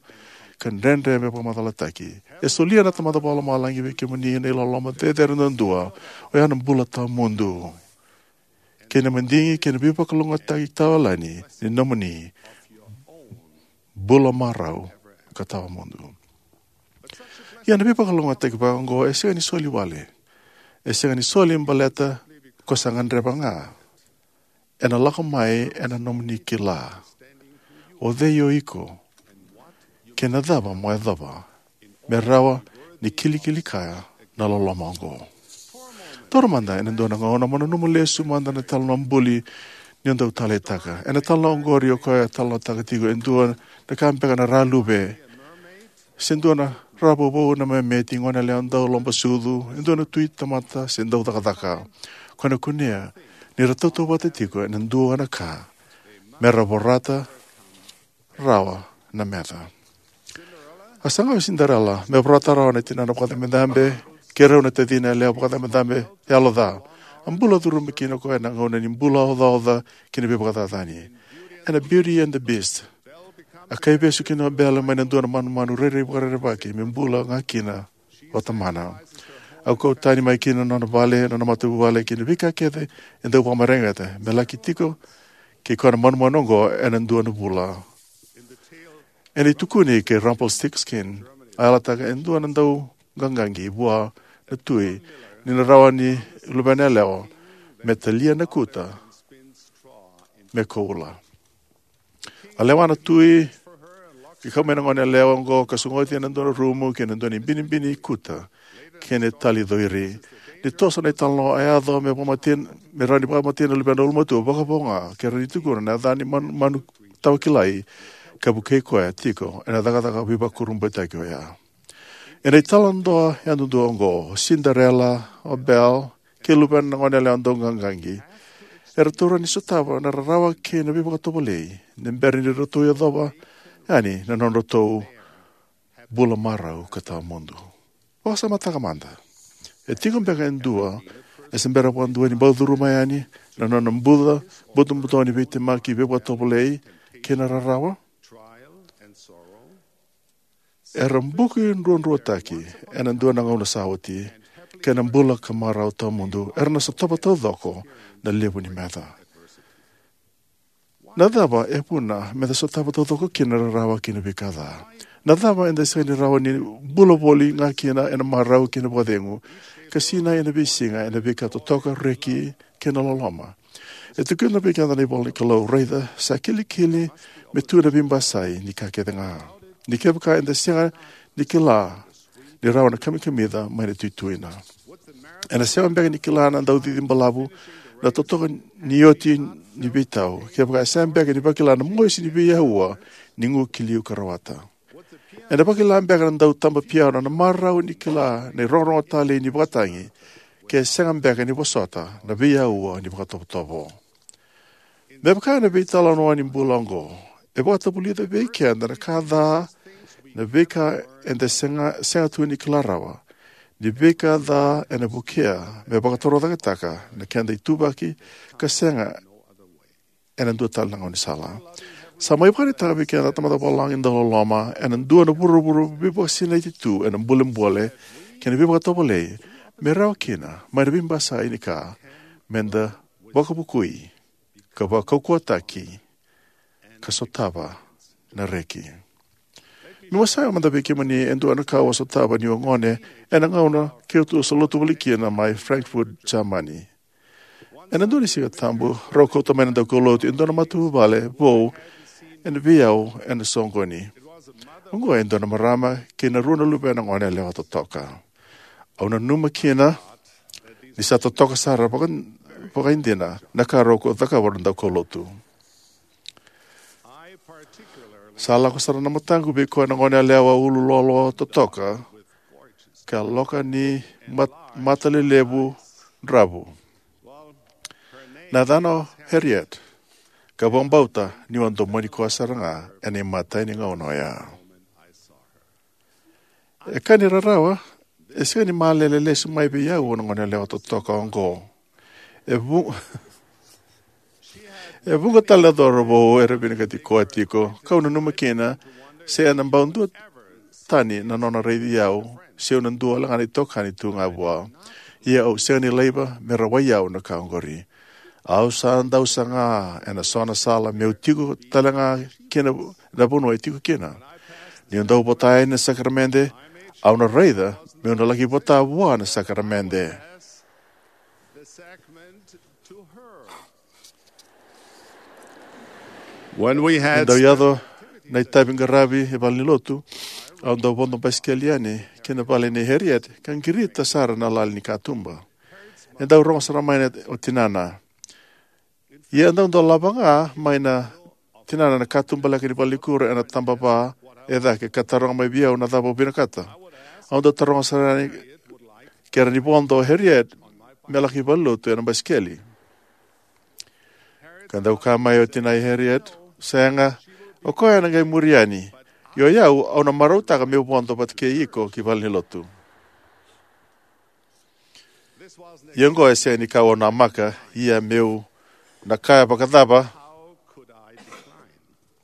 ka dredre me vakamacalataki. E solia na Tamada Vakalomalagi vei kemuni na iloloma cecere duadua, oya na bula tawamudu, kei na madigi kei na veivakalougatataki tawayalani ni nomuni bula marau ka tawamudu. Ia na veivakalougatataki vaka oqo e sega ni soli wale. E sega ni soli baleta ko sa gadreva ga. Ena lako mai ena nomuni kila o cei o iko kei na cava mo yacova me rawa ni kilikili kaya na loloma oqo. Taura mada ena dua na gauna mo nanuma lesu mada na italanoa buli ni o dau taleitaka. Ena italanoa oqori, o koya e talanoataka tiko e dua na ka beka na raluve, se dua na ravovou, na memeti, goneyalewa dau lobasucu, e dua na tui tamata se dau cakacaka. Ko na kunea ni ra tautauvata tiko ena dua na ka, me ra vorata rawa na meca. A saga o Cinderella me vorata rawa na tinana vakacabecabe kei rau na tacina yalewa vakacabecabe yaloca. A bula curuma kina o koya ena gauna ni bula ocaoca kei na veivakacacani. Ena Beauty and the Beast, a kaivesu kina o Belle mai na dua na manumanu rairai vakarerevaki me bula ga kina o tamana. A kau tani mai kina na nona vale, na nona matavuvale kei na veika kece e dau vakamareqeta me laki tiko kei koya na manumanu oqo ena dua na vula. Ena itukuni kei Rumpelstiltskin, a yalataka e dua na dauqaqaqi vua na tui ni na rawa ni luvena yalewa me talia na kuta me koula. A lewa na tui, ka kau mai na gone yalewa oqo ka sogoti ena dua na rumu kei na dua na ibinibini kuta kei na tali coiri. Ni toso na italanoa, a yaco me vakamatea, me rawa ni vakamatea na luvena ulumatua vakavo ga, ke rawa ni tukuna na yaca ni manu, manu tawa kilai, ka vukei koya tiko ena cakacaka veivakurabuitaki oya. Ena italanoa yadudua oqo, o Cinderella, o Belle, kei luvena na gone yalewa dauqaqaqi, eratou rawa ni sotava na rarawa kei na veivakatovolei ni bera ni ratou yacova yani na nodratou bula marau ka tawamudu. Vakasamataka mada. E tiko beka e dua e se bera vakadua ni bau curuma yani na nona buca, butobuto ni veitemaki, veivakatovolei kei na rarawa? Era buki druadruataki ena dua na gauna sa oti, kei na bula ka marau tawamudu era na sotava taucoko na levu ni meca. Na cava e vuna meda sotava taucoko kina na rarawa kei na veika ca? Na cava eda sega ni rawa ni bula voli ga kina ena marau kei na vakacegu, ka sinai ena veisiga ena veika totoka, reki, kei na loloma? E tukuna vei keda na ivola ni Kalou, raica, sa kilikili me tu na veibasai ni ka kece ga. Ni kevaka eda sega ni kila ni rawa na kamikamica mai na tuituina, ena sega beka ni kila na daucici balavu na totoka ni oti ni veitau, kevaka e sega beka ni vakila na mosi ni veiaua ni gu ki liu ka rawata? Ena vakila beka na dautaba piano na marau ni kila na irogorogo talei ni vakatagi, ke sega beka ni vosota na veiaua ni vakatovotovo? Me vaka na veitalanoa ni bula oqo, e vakatavulica vei keda na ka ca, na veika eda sega, sega tu ni kila rawa, ni veika ca ena vukea me vakatorocaketaka na keda ituvaki ka sega ena dua tale na gaunisala. Sa mai vakaraitaka vei keda na Tamada Vakalomalagi dauloloma ena dua na vuravura veivakasinaiti tu ena bolebole kei na veivakatovolei, me rawa kina mai na veibasai ni ka meda vakavukui ka vakaukauwataki ka sotava na reki. Meu wasea mada vei kemuni e dua na ka au a sotava niu a gone, ena gauna keitou sa lotu voli kina mai Frankfurt, Jamani. Ena dua ni Siga Tabu, rau kauta mai na daukaulotu e dua na matavuvale vou ena veiyau ena soqoni. Oqo e dua na marama kei na rua na luvena gone yalewa totoka. Au nanuma kina ni sa totoka sara vaka, vakaidina na ka rau cakava na daukaulotu. Sa lako sara na mataqu vei koya na gone yalewa ulu loaloa totoka, ka loka ni mat-, mata lelevu dravu. Na yacana o Harriet, ka vakabauta niu a domoni koya sara ga ena imatai ni gauna oya. E ka ni rarawa, e sega ni malele lesu mai vei au na gone yalewa totoka oqo. E vu-, e vuqa tale na cauravou era vinakati koya tiko, kau nanuma kina se ena bau duatani na nona raici au, se au na dua wale ga na itokani tu ga vua. Ia au sega ni laiva me rawai au na ka oqori. Au sa dau saga ena so na sala meu tiko tale ga kina na vanua e tiko kina. Niu dau vota yani na sakaramede, au na raica meu na laki vota vua na sakaramede. When we E had dau yaco na itavi qaravi e vale ni lotu, au dau vodo basikeli yani ki na vale nei Harriet ka qirita sara na lali ni katuba. E dau rogo sara mai na o tinana. Ia e dau dolava ga mai na tinana na katuba leka ni valenikuro ena tabava e cake ka taroga mai vei au na cava au vinakata. Au dau taroga sara yani ke rawa ni vodo o Harriet me laki valenilotu ena basikeli. Ka dau kaya mai o tinai Harriet, sega, o koya ena qai muri yani. Io, o yau, au na marautaka meu vodo vata kei iko ki valenilotu. Ia oqo e sega ni ka au namaka, ia meu na kaya vakacava?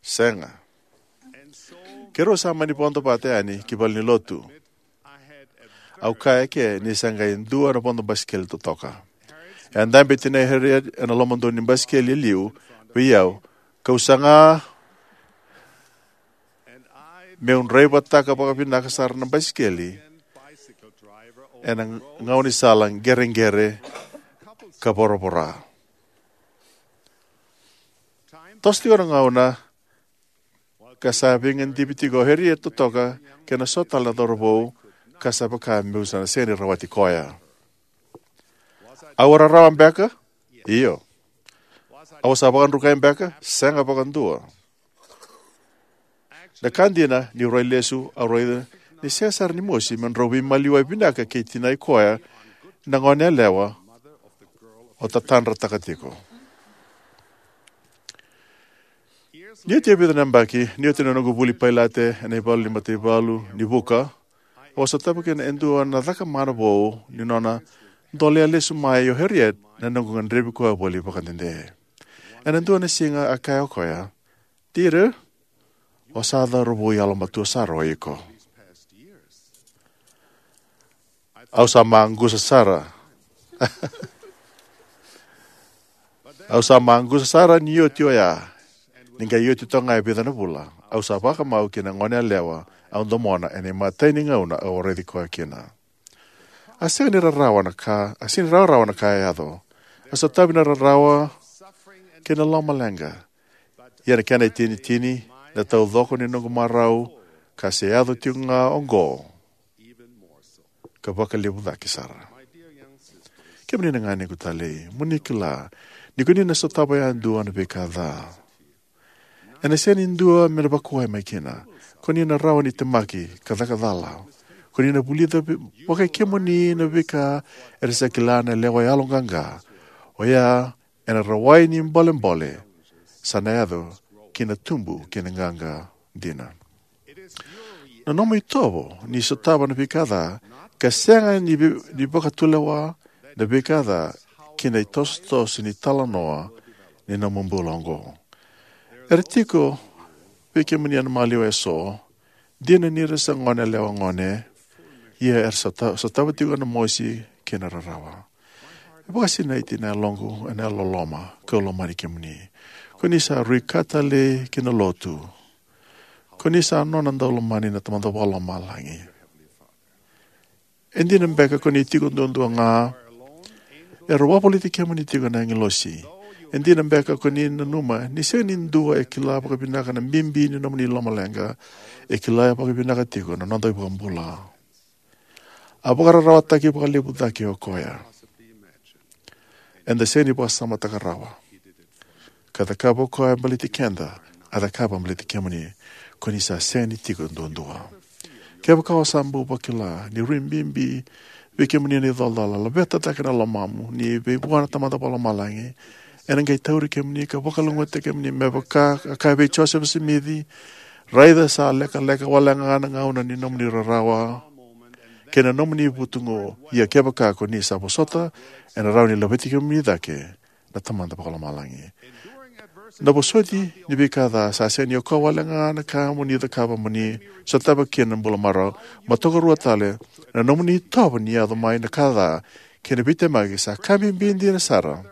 Sega. Keirau sa mani vodo vata yani ki valenilotu. Au kaya eke ni sa qai dua na vodo basikeli totoka. E a dabe tinai Harriet ena lomadonu ni basikeli e liu vei au, kau saga meu draivataka vakavinaka sara na basikeli ena gaunisala qereqere ka voravora. Toso tiko na gauna, ka sa veigadivi tiko o Harriet totoka kei na so tale na cauravou, ka sa vaka meu sa na sega ni rawati koya. Au a rarawa beka? Io. Au sa vakadrukai beka? Sega vakadua. Na ka dina, niu rai lesu, au raica ni sega sara ni mosi me drau veimaliwai vinaka kei tinai koya na goneyalewa o tatadrataka tiko. Ni oti e vica na yabaki, ni oti na noqu vuli pailate ena ivalu ni mataivalu ni vuka, au a sotava kina e dua na cakamana vou ni nona dolea lesu mai o Harriet na noqu gadrevi koya voli vakadede. Ena dua na siga a kaya o koya, "Dieter, o sa cauravou yalomatua sara o iko." Au sa maqusa sara. Au sa maqusa sara ni oti oya. Ni qai oti toka ga e vica na vula, au sa vakamau ki na goneyalewa au domona ena imatai ni gauna au a raici koya kina. A sega ni rarawa na ka, a sega ni rawarawa na ka e yaco. A sotavi na rarawa kei na lomaleqa. Ia na kena itinitini, na taucoko ni noqu marau, ka se yaco tiko ga oqo, ka vakalevu cake sara. Kemuni na ganequ talei, mo ni kila ni ko ni na sotava yadua na veika ca. Ena sega ni dua me na vakuwai mai kina. Ko ni na rawa ni temaki ka caka cala. Ko ni na vulica vi-, vakaikemuni na veika era sa kila na lewa yaloqaqa. Oya ena rawai ni bolebole sa na yaco ki na tubu kei na qaqa dina. Na nomu itovo ni sotava na veika ca, ka sega ni vi-, ni vakatulewa na veika ca ki na itosotoso ni talanoa ni nomu bula oqo. Era tiko vei kemuni na maliwa eso, dina ni ra sa goneyalewa gone, ia era sota-, sotava tiko na mosi kei na rarawa. E vakasinaiti na yaloqu ena yalololoma, kau lomani kemuni. Ko ni sa rui ka talei ki na lotu. Ko ni sa nona daulomani na Tamada Vakalomalagi. E dina beka ko ni tiko duadua ga, era wavoliti kemuni tiko na agilosi. E dina beka ko ni nanuma ni sega ni dua e kila vakavinaka na bibi ni nomuni lomaleqa, e kila vakavinaka tiko na noda iVakabula. A vakararawataki vakalevu cake o koya. Eda sega ni vakasamataka rawa. Ka cakava o koya baleti keda, a cakava baleti kemuni, ko ni sa sega ni tiko duadua. Kevaka o sa bau vakila ni rui bibi vei kemuni na icolacola, laveta cake na lomamu ni vei vua na Tamada Vakalomalagi. Ena qai tauri kemuni ka vakalougatataki kemuni me vaka a kaya vei Josefa Simici, raica sa lekaleka wale ga na gauna ni nomuni rarawa kei na nomuni vutugu, ia kevaka ko ni sa vosota, ena rawa ni laveti kemuni cake na Tamada Vakalomalagi. Na vosoti ni veika ca sa sega ni o koya wale ga na ka mo ni cakava mo ni sotava kina na bula marau. Mo tokaruataka na nomuni itovo ni yaco mai na ka ca kei na veitemaki sa ka bibi dina sara.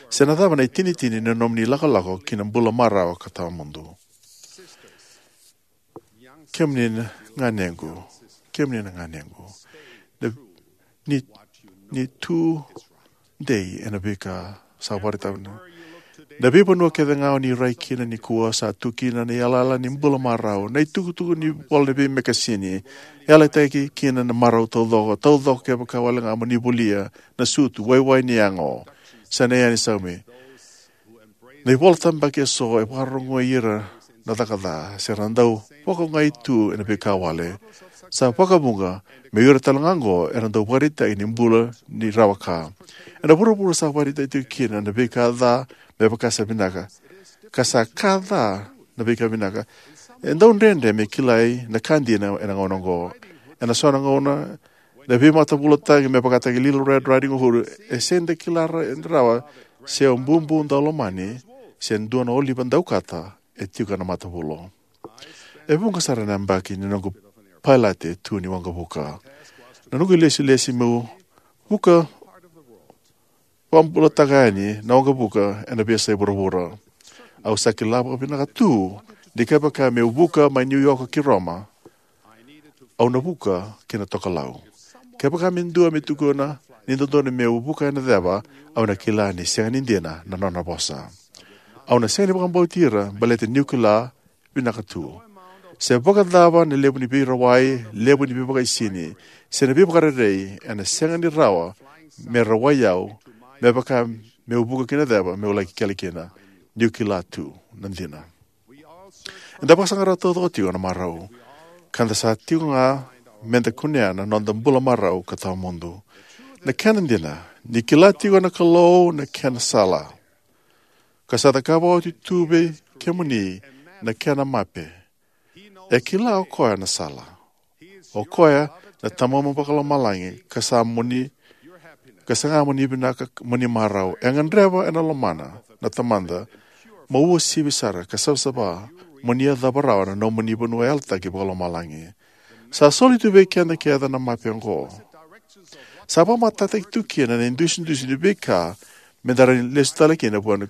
Se na cava na itinitini na nomuni lakolako ki na bula marau ka tawamudu. Kemuni na ganequ, kemuni na ganequ. Na, ni, ni tu dei ena veika sa vakaraitaka. Na veivanua kece ga o ni rai kina nikua sa tu kina na iyalayala ni bula marau. Na itukutuku ni vola ni veimekasini. Yalataki kina na marau taucoko. Taucoko kevaka wale ga mo ni volia. Na sutu, waiwai ni yago. Sa na yani saumi. Na ivola tabaki eso e vakarogoi ira na caka ca, se ra dau vakaogai tu ena veika wale. Sa vakavuqa, me ira tale ga oqo era dau vakaraitaki ni bula ni rawa ka. Ena vuravura sa vakaraitaki tiko kina na veika ca, me vaka sa vinaka. Ka sa ka ca na veika vinaka. E dau dredre me kilai na ka dina ena gauna oqo. Ena so na gauna, na veimatavulataki me vakataki Little Red Riding Hood, e sega ni da kila ra-, rawa se o bubu daulomani, se dua na oliva daukata, e tiko ena matavulo. E vuqa sara na yabaki ni noqu pailate tu ni waqavuka. Na noqu ilesilesi meu vuka vakabulataka yani na waqavuka ena veiyasai vuravura. Au sa kila vakavinaka tu Ni kevaka meu vuka mai New York ki Roma, au na vuka ki na tokalau. Kevaka me dua me tukuna ni dodonu meu vuka ena ceva, au na kila ni sega ni dina na nona vosa. Au na sega ni vakabauti ira baleta niu kila vinaka tu. Se vakacava na levu ni veirawai, levu ni veivakaisini, se na veivakarerei, ena sega ni rawa me rawai au me vaka meu vuka ki na ceva meu laki kele kina, niu kila tu na dina. Eda vakasaqara taucoko tiko na marau, ka da sa tiko ga meda kunea na noda bula marau ka tawamudu. Na kena dina, ni kila tiko na Kalou na kena sala, ka sa cakava oti tu vei kemuni na kena mape. E kila o koya na sala. O koya na Tamamu Vakalomalagi, ka sa moni, ka saga moni vinaka, moni marau. E gadreva ena lomana na Tamada mo uasivi sara ka savasava, moni yacova rawa na nomuni vanua yalataki vakalomalagi. Sa soli tu vei keda kece na mape oqo. Sa vakamatatataki tu kina na idusidusi ni veika meda rawa ni lesu tale kina vua na,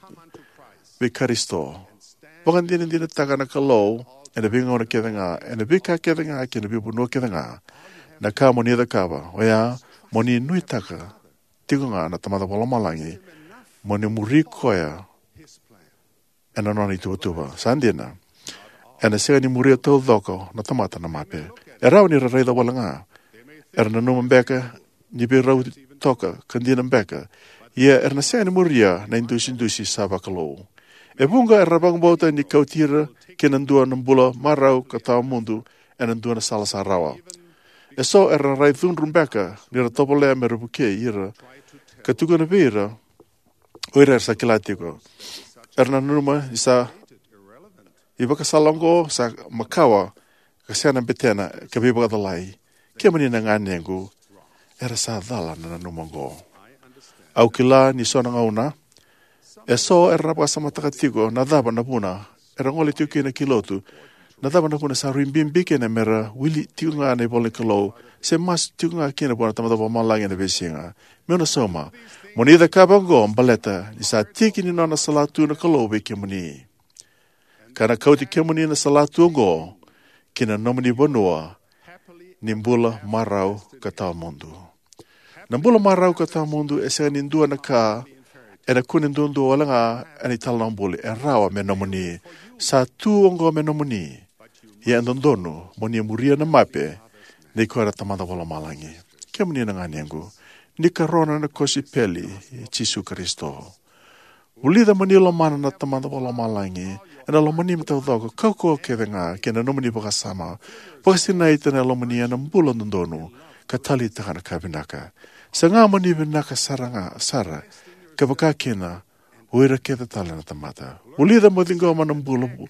vei Karisito. Vakadinadinataka na Kalou ena veigauna kece ga, ena veika kece ga, kei na veivanua kece ga. Na ka moni cakava oya, moni nuitaka tiko ga na Tamada Vakalomalagi, moni muri koya ena nona ituvatuva. Sa dina, ena sega ni muria taucoko na tamata na mape. E rawa ni ra raica wale ga. Era nanuma beka ni veirauti toka ka dina beka. Ia era na sega ni muria na idusidusi sa vakalou. E vuqa era vakabauta ni kauti ira ki na dua na bula marau ka tawamudu ena dua na sala sa rawa. Eso era na rai cudru beka ni ra tovolea me ra vukei ira ka tukuna vei ira o ira era sa kila tiko. Era na nanuma ni sa ivakasala oqo sa makawa, ka sega na betena, ka veivakacalai. Kemuni na ganequ, era sa cala na nanuma oqo. Au kila ni so na gauna eso era na vakasamataka tiko na cava na vuna era gole tiko kina ki lotu, na cava na vuna sa rui bibi kina me ra wili tiko ga na ivola ni Kalou, se masu tiko ga kina vua na Tamada Vakalomalagi ena veisiga. Meu na sauma, moni cakava oqo baleta ni sa tiki ni nona salatu na Kalou vei kemuni, ka na kauti kemuni na salatu oqo ki na nomuni vanua ni bula marau ka tawamudu. Na bula marau ka tawamudu e sega ni dua na ka ena kune duadua wale ga ena italanoa buli. E rawa me nomuni. Sa tu oqo me nomuni. Ia e dodonu moni muria na mape nei koya na Tamada Vakalomalagi. Kemuni na ganequ, ni karona na kosipeli i Jisu Karisito. Vulica moni lomana na Tamada Vakalomalagi ena lomanimi taucoko, kaukauwa kece ga kei na nomuni vakasama. Vakasinaita na lomani ena bula dodonu ka taleitaka na ka vinaka. Saga moni vinaka sara ga sara, ka vaka kina o ira kece tale na tamata. Vulica mo ciqoma na bula vu-,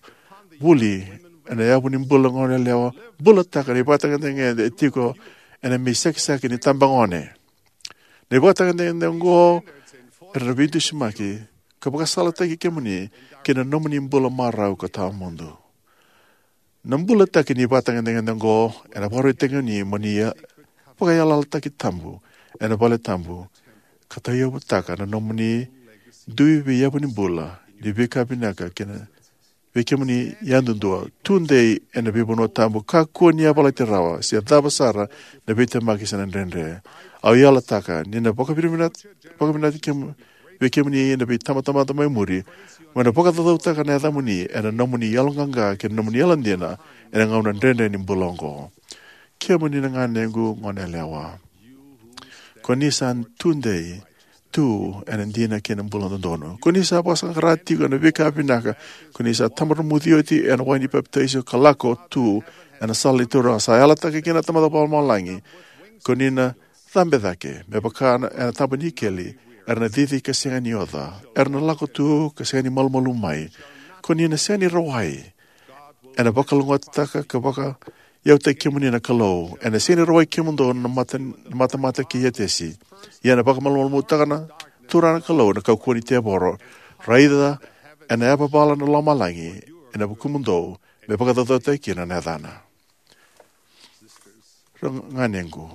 vuli ena yavu ni bula goneyalewa. Bulataka na ivakatagedegede e tiko ena mei sakisaki ni tabagone. Na ivakatagedegede oqo era na veidusimaki ka vakasalataki kemuni ki na nomuni bula marau ka tawamudu. Na bulataki ni ivakatagedegede oqo ena vakarautaki kemuni moni vakayalayalataki tabu ena vale tabu, ka tauyavutaka na nomuni dui veiyavu ni bula ni veika vinaka kina vei kemuni yadudua. Tudei ena veivanua tabu, kakua ni yavalati rawa se cava sara na veitemaki se na dredre. Au yalataka ni na vakavinavinati, vakavinati kemu-, vei kemuni na veitabatamata mai muri, mo na vakacaucautaka na yacamuni ena nomuni yaloqaqa kei na nomuni yalodina ena gauna dredre ni bula oqo. Kemuni na ganequ goneyalewa, ko ni sa tudei tu ena dina kei na bula dodonu. Ko ni sa vakasaqara tiko ena veika vinaka. Ko ni sa tabamuci oti ena wai ni papitaiso ka lako tu ena sala ni Turaga. Sa yalataka kina na Tamada Vakalomalagi, ko ni na cabe cake me vaka na, ena taba ni ikeli. Era na cici ka sega ni oca. Era na lako tu ka sega ni malumalumu mai. Ko ni na sega ni rawai. Ena vakalougatataka ka vakayautaki kemuni na Kalou. Ena sega ni rawai kemudou na mata, na matamata kei Etesi. Ia ena vakamalumalumutaka na Turaga na Kalou na kaukauwa ni tevoro. Raica ena yavavala na lomalagi ena vukumudou, me vakacaucautaki kina na yacana. Ra ganequ,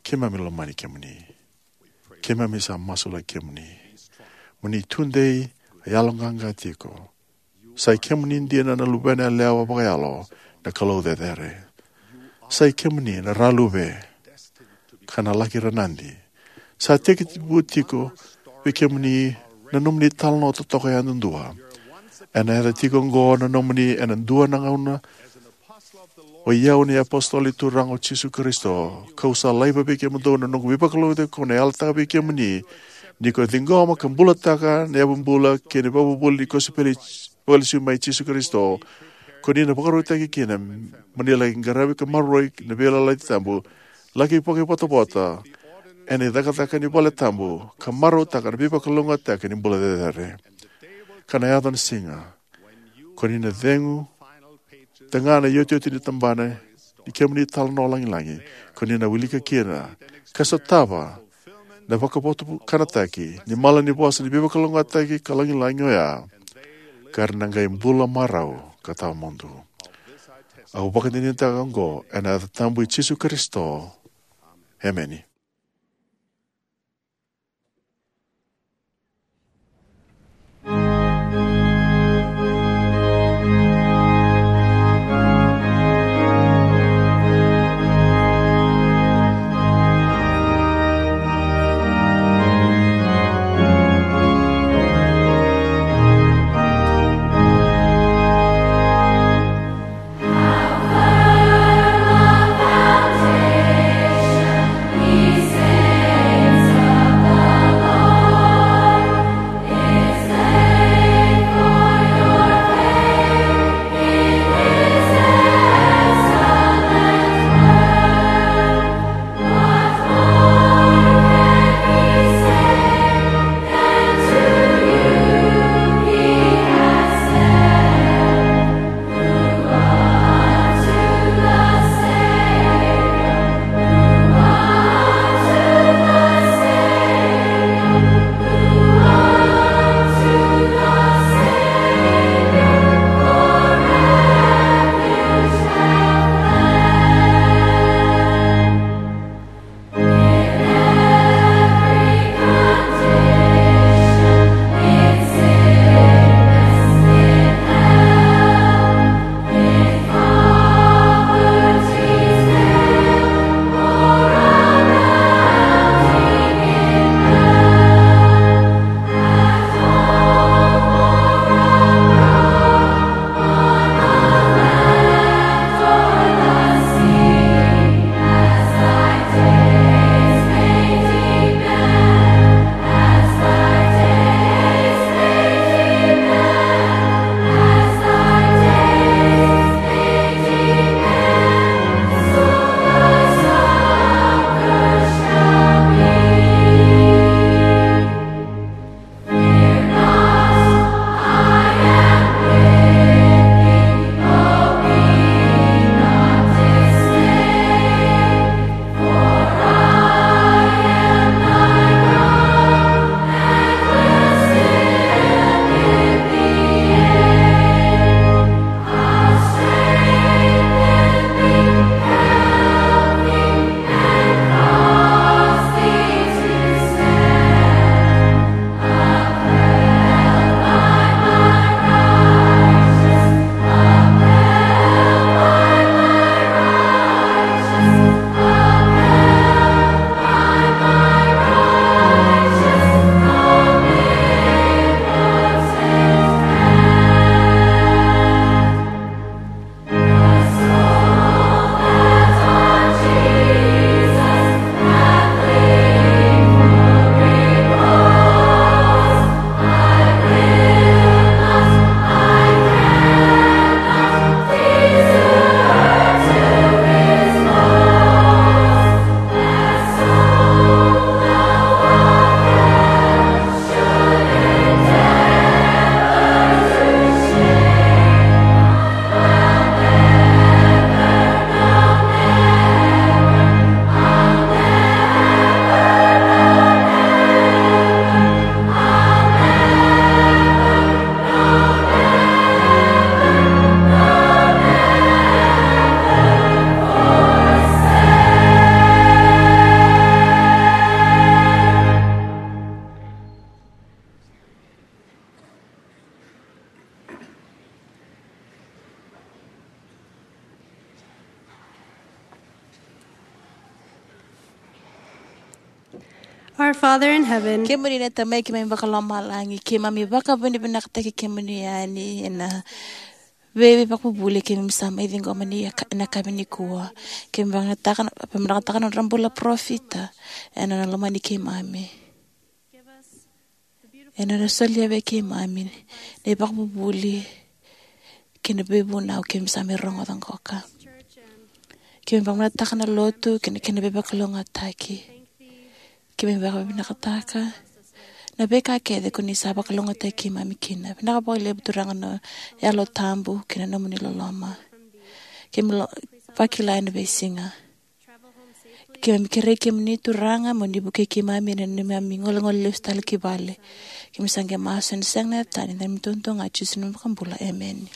keimami lomani kemuni. Keimami sa masulaki kemuni. Mo ni tudei, yaloqaqa tiko. Sa i kemuni dina na luvena yalewa vakayalo na Kalou cecere. Sa i kemuni na raluve ka na laki ranadi. Sa tekivu tiko vei kemuni na nomuni italanoa totoka yadudua. Ena yaco tiko oqo na nomuni ena dua na gauna. O i au na iApositolo ni Turaga o Jisu Karisito, kau sa laiva vei kemudou na noqu veivakalougatataki, kau na yalataka vei kemuni, ni ko ciqoma ka bulataka na yavabula kei na ivakavuvuli ni kosipeli vakalesui mai Jisu Karisito, ko ni na vakarautaki kina mo ni laki qaravi ka maroroi na veiyalayalati tabu, laki vakaivotavota ena icakacaka ni vale tabu, ka marautaka na veivakalougatataki ni bula cecere. Ka na yaco na siga ko ni na cegu taga na iotioti ni tabana ni kemuni italanoa lagilagi, ko ni na wilika kina ka sotava na vakavotukanataki ni malanivosa ni veivakalougatataki ka lagilagi oya, ka ra na qai bula marau ka tawamudu. Au vakadinadinataka oqo ena yaca tabu i Jisu Karisito. Emeni. Our Father in heaven, kemuni na Tamai keimami vakalomalagi, keimami vakavinavinakataki kemuni yani ena veiveivakavuvuli keimami sa mai ciqoma ni yaka-, ena yakavi nikua. Keimami vakayagataka na, vakayagataka na nodra bula parofita ena nona lomani keimami, ena nona solia vei keimami na ivakavuvuli kei na veivunau keimami sa mai rogoca qoka. Keimami vakayagataka na lotu kei na kena veivakalougatataki. Keimami vakavinakataka na veika kece ko ni sa vakalougatataki keimami kina. Vinaka vakalevu Turaga na Yalo Tabu kei na nomuni loloma. Keimami lo-, vakila ena veisiga. Keimami kerei kemuni Turaga mo ni vukei keimami ena neimami golegole lesu tale ki vale. Keimami sa qai masu ena sega ni tani, ena neimami duadua ga Jisu na iVakabula. Emeni.